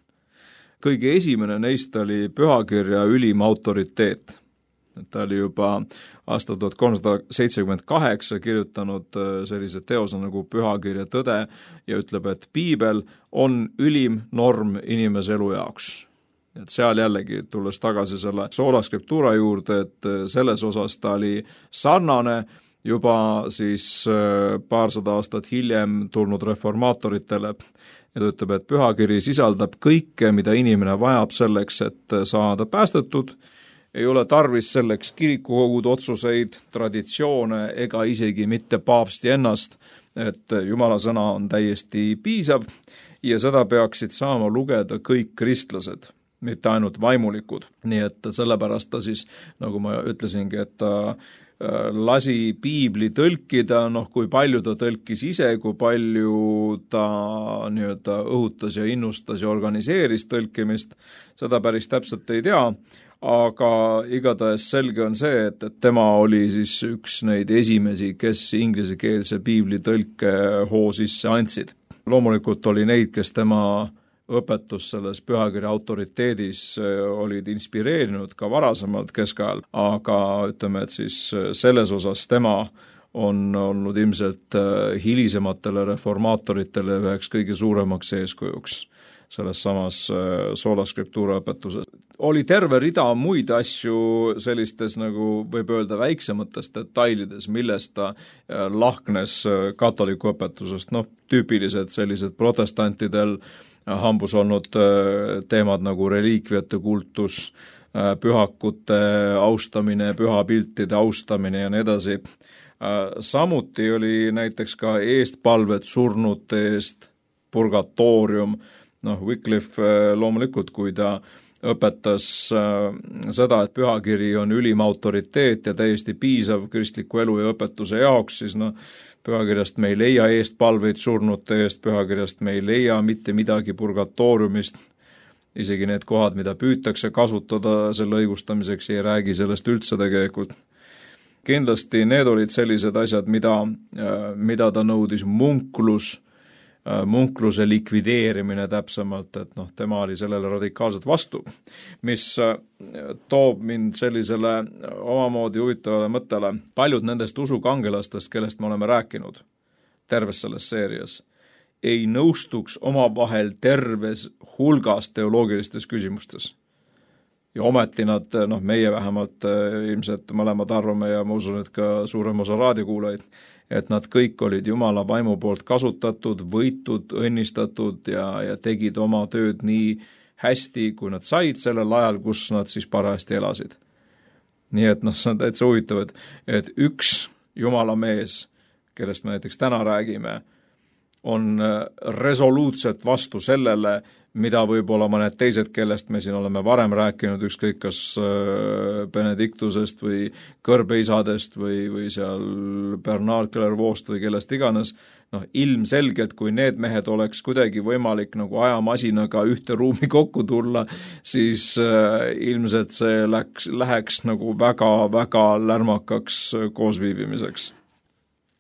Kõige esimene neist oli pühakirja ülim autoriteet. Ta oli juba aastal tuhat kolmsada seitsekümmend kaheksa kirjutanud sellise teose nagu Pühakirja tõde ja ütleb, et piibel on ülim norm inimese elu jaoks. Et seal jällegi tulles tagasi selle sola scriptura juurde, et selles osas ta oli sarnane juba siis paarsada aastat hiljem tulnud reformaatoritele ja ta ütleb, et pühakiri sisaldab kõike, mida inimene vajab selleks, et saada päästetud, ei ole tarvis selleks kirikukogud otsuseid, traditsioone ega isegi mitte paavsti ennast, et Jumala sõna on täiesti piisav ja seda peaksid saama lugeda kõik kristlased, mitte ainult vaimulikud. Nii et sellepärast ta siis, nagu ma ütlesingi, et ta lasi piibli tõlkida, noh kui palju ta tõlkis ise, kui palju ta nii-öelda õhutas ja innustas ja organiseeris tõlkimist, seda päris täpselt ei tea, aga igatahes selge on see, et, et tema oli siis üks neid esimesi, kes inglisekeelse piibli tõlke hoo sisse andsid. Loomulikult oli neid, kes tema õpetus selles pühakirja autoriteedis olid inspireerinud ka varasemalt keskajal, aga ütleme, et siis selles osas tema on olnud ilmselt hilisematele reformaatoritele üheks kõige suuremaks eeskujuks selles samas sola scriptura õpetuses. Oli terve rida muid asju sellistes nagu võib öelda väiksemates detailides, millest ta lahknes katoliku õpetusest, noh tüüpilised sellised protestantidel hambus olnud teemad nagu reliikviate kultus, pühakute austamine, pühapiltide austamine ja nii edasi. Samuti oli näiteks ka eestpalved surnute eest, purgatoorium, noh Wycliffe loomulikult, kui ta õpetas seda, et pühakiri on ülim autoriteet ja täiesti piisav kristliku elu ja õpetuse jaoks, siis noh, pühakirjast me ei leia eestpalveid surnute eest, pühakirjast me ei leia mitte midagi purgatooriumist, isegi need kohad, mida püütakse kasutada selle õigustamiseks, ei räägi sellest üldse tegelikult. Kindlasti need olid sellised asjad, mida, mida ta nõudis munklus, munkluse likvideerimine täpsemalt, et noh, tema oli sellele radikaalselt vastu, mis toob mind sellisele omamoodi huvitavale mõttele. Paljud nendest usukangelastest, kellest me oleme rääkinud terves selles seerias, ei nõustuks omavahel terves hulgas teoloogilistes küsimustes. Ja ometi nad, noh meie vähemalt ilmselt mõlemad arvame ja ma usun, et ka suurem osa raadiokuulajaid, et nad kõik olid Jumala vaimu poolt kasutatud, võitud, õnnistatud ja, ja tegid oma tööd nii hästi, kui nad said sellel ajal, kus nad siis parajasti elasid. Nii et noh, see on täitsa huvitav, et, et üks Jumala mees, kellest me näiteks täna räägime, on resoluutselt vastu sellele, mida võib-olla mõned teised, kellest me siin oleme varem rääkinud, ükskõik kas Benediktusest või kõrbeisadest või, või seal Bernard Clairvaux'st või kellest iganes, noh ilmselgelt, kui need mehed oleks kuidagi võimalik nagu ajamasinaga ühte ruumi kokku tulla, siis ilmselt see läks, läheks nagu väga-väga lärmakaks koosviibimiseks.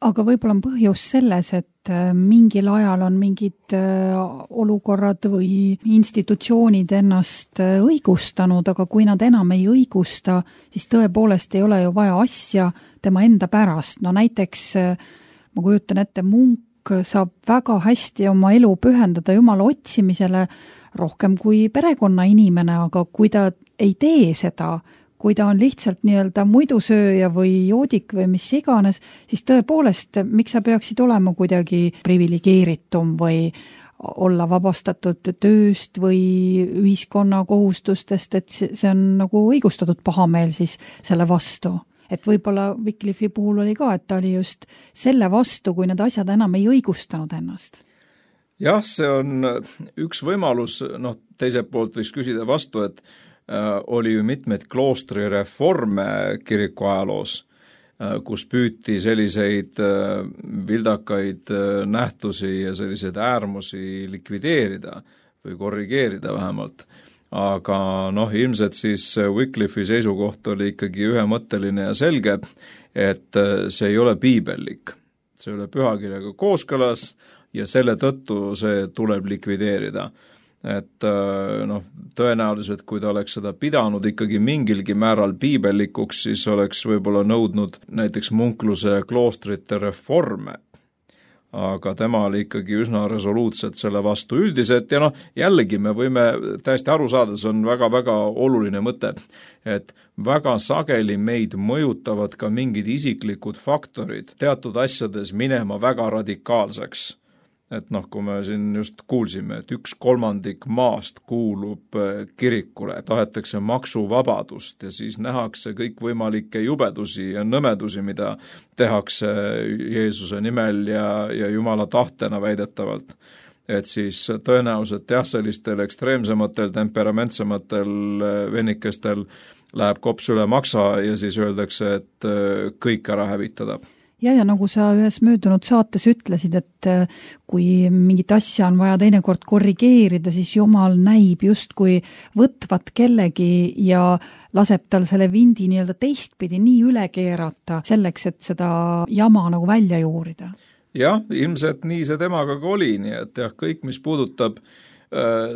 Aga võib-olla on põhjus selles, et mingil ajal on mingid olukorrad või institutsioonid ennast õigustanud, aga kui nad enam ei õigusta, siis tõepoolest ei ole ju vaja asja tema enda pärast. No näiteks, ma kujutan ette, munk saab väga hästi oma elu pühendada Jumala otsimisele rohkem kui perekonnainimene, aga kui ta ei tee seda, kui ta on lihtsalt nii-öelda muidusööja või joodik või mis iganes, siis tõepoolest, miks sa peaksid olema kuidagi privilegeeritum või olla vabastatud tööst või ühiskonna kohustustest, et see on nagu õigustatud pahameel siis selle vastu. Et võib-olla Wycliffe'i puhul oli ka, et ta oli just selle vastu, kui need asjad enam ei õigustanud ennast. Jah, see on üks võimalus, noh teiselt poolt võiks küsida vastu, et oli ju mitmeid kloostri reforme kiriku ajaloos, kus püüti selliseid vildakaid nähtusi ja selliseid äärmusi likvideerida või korrigeerida vähemalt. Aga noh, ilmselt siis Wycliffe'i seisukoht oli ikkagi ühemõtteline ja selge, et see ei ole piibellik. See ei ole pühakirjaga kooskõlas ja selle tõttu see tuleb likvideerida. Et noh, tõenäoliselt, kui ta oleks seda pidanud ikkagi mingilgi määral piibellikuks, siis oleks võib-olla nõudnud näiteks munkluse ja kloostrite reforme. Aga tema oli ikkagi üsna resoluutselt selle vastu üldiselt ja noh, jällegi me võime täiesti aru saada, see on väga-väga oluline mõte, et väga sageli meid mõjutavad ka mingid isiklikud faktorid teatud asjades minema väga radikaalseks. Et noh, kui me siin just kuulsime, et üks kolmandik maast kuulub kirikule, tahetakse maksuvabadust ja siis nähakse kõikvõimalikke jubedusi ja nõmedusi, mida tehakse Jeesuse nimel ja, ja Jumala tahtena väidetavalt. Et siis tõenäoliselt jah, sellistel ekstreemsematel, temperamentsematel vennikestel läheb kops üle maksa ja siis öeldakse, et kõik ära hävitada. Ja, ja nagu sa ühes möödunud saates ütlesid, et kui mingit asja on vaja teinekord korrigeerida, siis Jumal näib just kui võtvat kellegi ja laseb tal selle vindi nii-öelda teistpidi nii üle keerata selleks, et seda jama nagu välja juurida. Jah, ilmselt nii see temaga ka oli, nii et jah, kõik, mis puudutab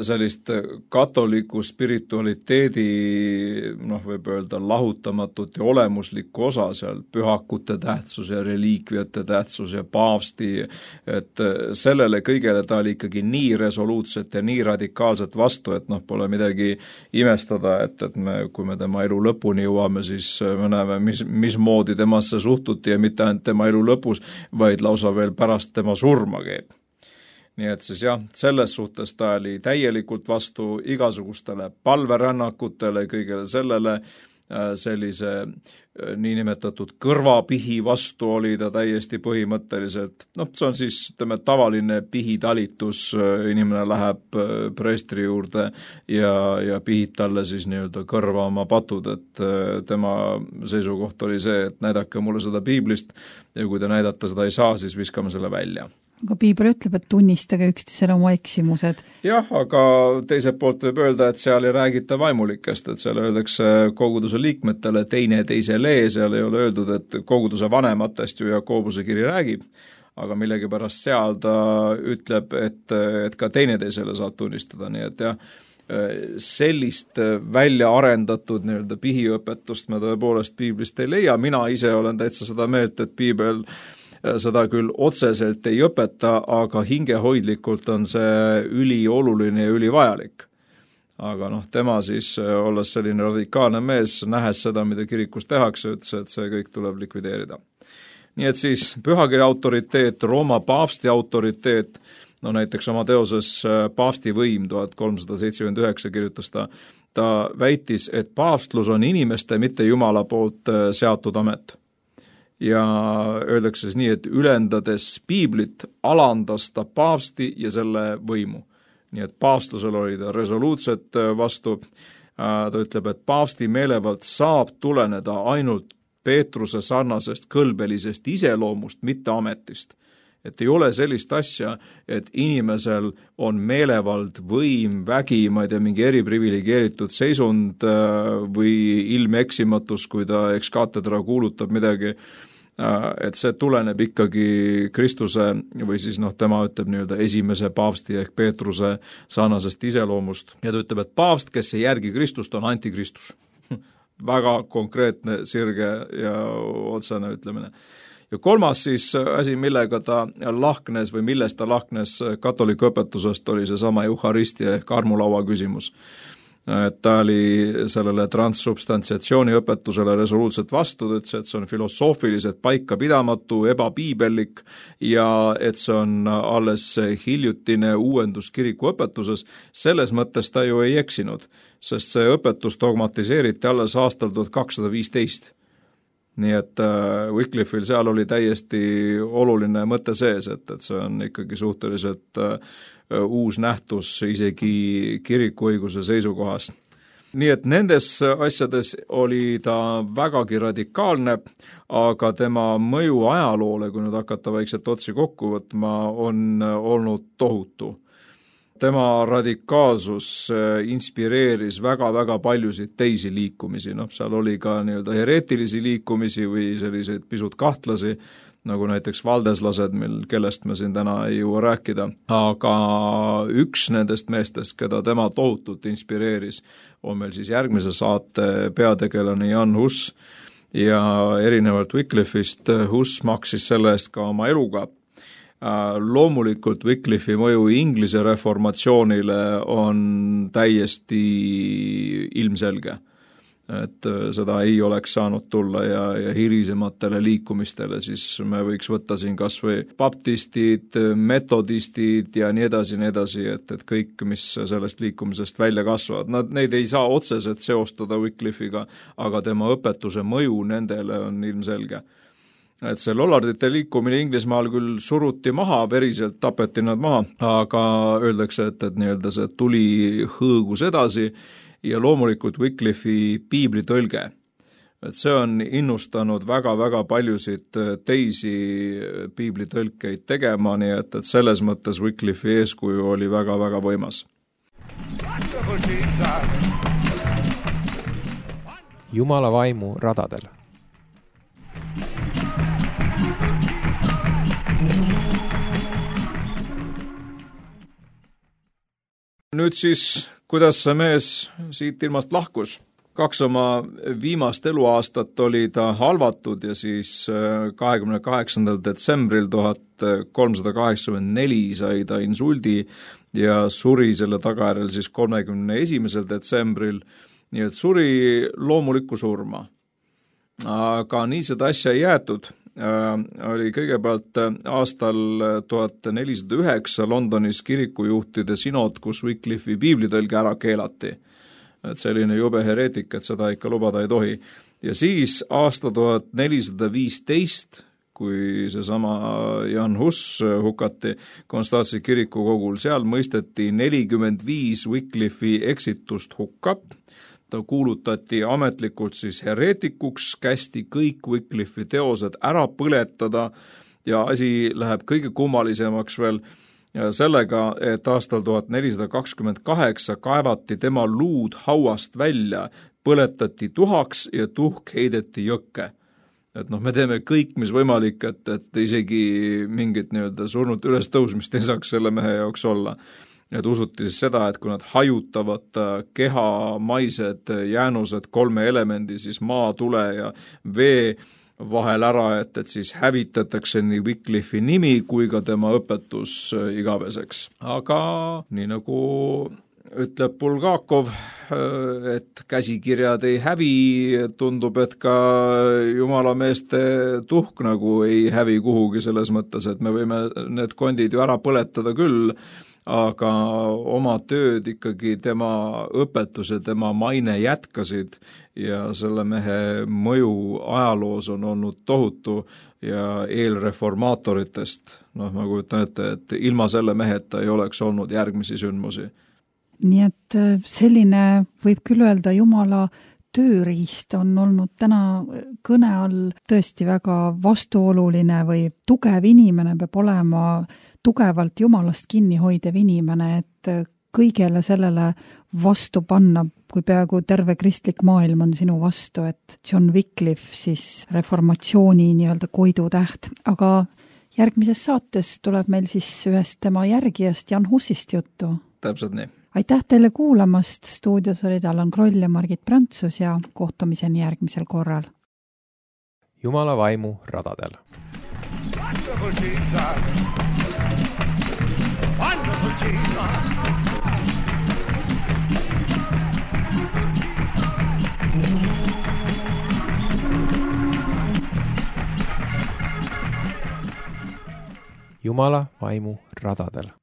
sellist katoliku spiritualiteedi, noh, võib öelda lahutamatut ja olemuslikku osa seal, pühakute tähtsus ja reliikviate tähtsus ja paavsti, et sellele kõigele ta oli ikkagi nii resoluutset ja nii radikaalset vastu, et noh, pole midagi imestada, et, et me, kui me tema elu lõpuni jõuame, siis me näeme, mis, mis moodi temasse suhtuti ja mitte ainult tema elu lõpus, vaid lausa veel pärast tema surma käib. Nii et siis jah, selles suhtes ta oli täielikult vastu igasugustele palverännakutele, kõigele sellele, sellise niinimetatud kõrvapihi vastu oli ta täiesti põhimõtteliselt. Noh, see on siis ütleme, tavaline pihitalitus, inimene läheb preestri juurde ja, ja pihib talle siis nii-öelda kõrva oma patud, et tema seisukoht oli see, et näidake mulle seda piiblist ja kui te näidata seda ei saa, siis viskame selle välja. Aga piibel ütleb, et tunnistage üksteisele oma eksimused. Jah, aga teiselt poolt võib öelda, et seal ei räägita vaimulikest, et seal öeldakse koguduse liikmetele teine teisele, seal ei ole öeldud, et koguduse vanematest ju Jakobuse kiri räägib, aga millegipärast seal ta ütleb, et, et ka teine teisele saab tunnistada, nii et jah, sellist välja arendatud nii-öelda pihiõpetust me tõepoolest piiblist ei leia, mina ise olen täitsa seda meelt, et piibel seda küll otseselt ei õpeta, aga hingehoidlikult on see ülioluline ja ülivajalik. Aga noh, tema siis, olles selline radikaalne mees, nähes seda, mida kirikus tehakse, ütles, et see kõik tuleb likvideerida. Nii et siis pühakirja autoriteet, Rooma paavsti autoriteet, no näiteks oma teoses Paavsti võim tuhat kolmsada seitsekümmend üheksa kirjutas ta, ta väitis, et paavstlus on inimeste, mitte Jumala poolt seatud amet. Ja öeldakse siis nii, et ülendades piiblit alandas ta paavsti ja selle võimu. Nii et paavstlusel oli ta resoluutset vastu. Ta ütleb, et paavsti meelevald saab tuleneda ainult Peetruse sarnasest kõlbelisest iseloomust, mitte ametist. Et ei ole sellist asja, et inimesel on meelevald, võim, vägi, ma ei tea, mingi eriprivilegeeritud seisund või ilmeksimatus, kui ta eks katedra kuulutab midagi, et see tuleneb ikkagi Kristuse või siis noh, tema ütleb nii-öelda esimese paavsti ehk Peetruse sarnasest iseloomust. Ja ta ütleb, et paavst, kes ei järgi Kristust, on antikristus. Väga konkreetne, sirge ja otsene ütlemine. Ja kolmas siis asi, millega ta lahknes või millest ta lahknes katoliku õpetusest, oli see sama euharistia ehk armulaua küsimus. Et ta oli sellele transsubstantsiatsiooni õpetusele resoluutselt vastu, ütles, et see on filosoofiliselt paika pidamatu, ebapiibellik ja et see on alles hiljutine uuendus kiriku õpetuses. Selles mõttes ta ju ei eksinud, sest see õpetus dogmatiseeriti alles aastal tuhat kakssada viisteist. Nii et Wycliffe'il seal oli täiesti oluline mõte sees, et, et see on ikkagi suhteliselt uus nähtus isegi kirikuõiguse seisukohast. Nii et nendes asjades oli ta vägagi radikaalne, aga tema mõju ajaloole, kui nüüd hakata vaikselt otsi kokku võtma, on olnud tohutu. Tema radikaalsus inspireeris väga-väga paljusid teisi liikumisi, noh, seal oli ka nii-öelda hereetilisi liikumisi või selliseid pisut kahtlasi, nagu näiteks valdeslased, mil, kellest me siin täna ei jõua rääkida, aga üks nendest meestest, keda tema tohutult inspireeris, on meil siis järgmise saate peategelane Jan Hus ja erinevalt Wycliffe'ist Hus maksis selle eest ka oma eluga. Loomulikult Wycliffe'i mõju Inglise reformatsioonile on täiesti ilmselge, et seda ei oleks saanud tulla ja, ja hilisematele liikumistele, siis me võiks võtta siin kas või baptistid, metodistid ja nii edasi, nii edasi, et, et kõik, mis sellest liikumisest välja kasvavad, nad, neid ei saa otseselt seostada Wycliffe'iga, aga tema õpetuse mõju nendele on ilmselge. Et see lollardite liikumine Inglismaal küll suruti maha, veriselt tapeti nad maha, aga öeldakse, et, et nii-öelda see tuli hõõgus edasi ja loomulikult Wycliffe'i piiblitõlge. Et see on innustanud väga-väga paljusid teisi piiblitõlkeid tegema, nii et, et selles mõttes Wycliffe'i eeskuju oli väga-väga võimas. Jumala vaimu radadel. nüüd siis, kuidas see mees siit ilmast lahkus? Kaks oma viimast eluaastat oli ta halvatud ja siis kahekümne kaheksandal detsembril tuhat kolmsada kaheksakümmend neli sai ta insuldi ja suri selle tagajärjel siis kolmekümne esimesel detsembril, nii et suri loomulikku surma. Aga nii seda asja ei jäetud. Oli kõigepealt aastal tuhat nelisada üheksa Londonis kirikujuhtide sinod, kus Wycliffe'i piiblitõlge ära keelati. Et selline jube hereetik, et seda ikka lubada ei tohi. Ja siis aasta tuhat nelisada viisteist, kui seesama Jan Hus hukati Konstantsi kirikukogul, seal mõisteti nelikümmend viis Wycliffe'i eksitust hukka. Ta kuulutati ametlikult siis hereetikuks, kästi kõik Wycliffe'i teosed ära põletada ja asi läheb kõige kummalisemaks veel sellega, et aastal tuhat nelisada kakskümmend kaheksa kaevati tema luud hauast välja, põletati tuhaks ja tuhk heideti jõkke. Et noh, me teeme kõik, mis võimalik, et, et isegi mingit nii-öelda surnud üles tõusmist ei saaks selle mehe jaoks olla. Et usuti siis seda, et kui nad hajutavad kehamaised jäänused kolme elemendi, siis maa, tule ja vee vahel ära, et, et siis hävitatakse nii Wycliffe'i nimi kui ka tema õpetus igaveseks. Aga nii nagu ütleb Bulgakov, et käsikirjad ei hävi, tundub, et ka jumalameeste tuhk nagu ei hävi kuhugi selles mõttes, et me võime need kondid ju ära põletada küll, aga oma tööd ikkagi tema õpetus ja tema maine jätkasid ja selle mehe mõju ajaloos on olnud tohutu ja eelreformaatoritest, noh, ma kujutan ette, et ilma selle meheta ei oleks olnud järgmisi sündmusi. Nii et selline, võib küll öelda, Jumala tööriist on olnud täna kõne all tõesti väga vastuoluline või tugev inimene peab olema tugevalt Jumalast kinni hoidev inimene, et kõigele sellele vastu panna, kui peaaegu terve kristlik maailm on sinu vastu, et John Wycliffe siis reformatsiooni nii-öelda koidutäht. Aga järgmises saates tuleb meil siis ühest tema järgijast Jan Husist juttu. Täpselt nii. Aitäh teile kuulamast, stuudios olid Allan Kroll ja Margit Prantsus ja kohtumiseni järgmisel korral. Jumala vaimu radadel. Wonderful Jesus. Wonderful Jesus. Jumala vaimu radadel.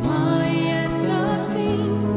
Ma ei jäta sind.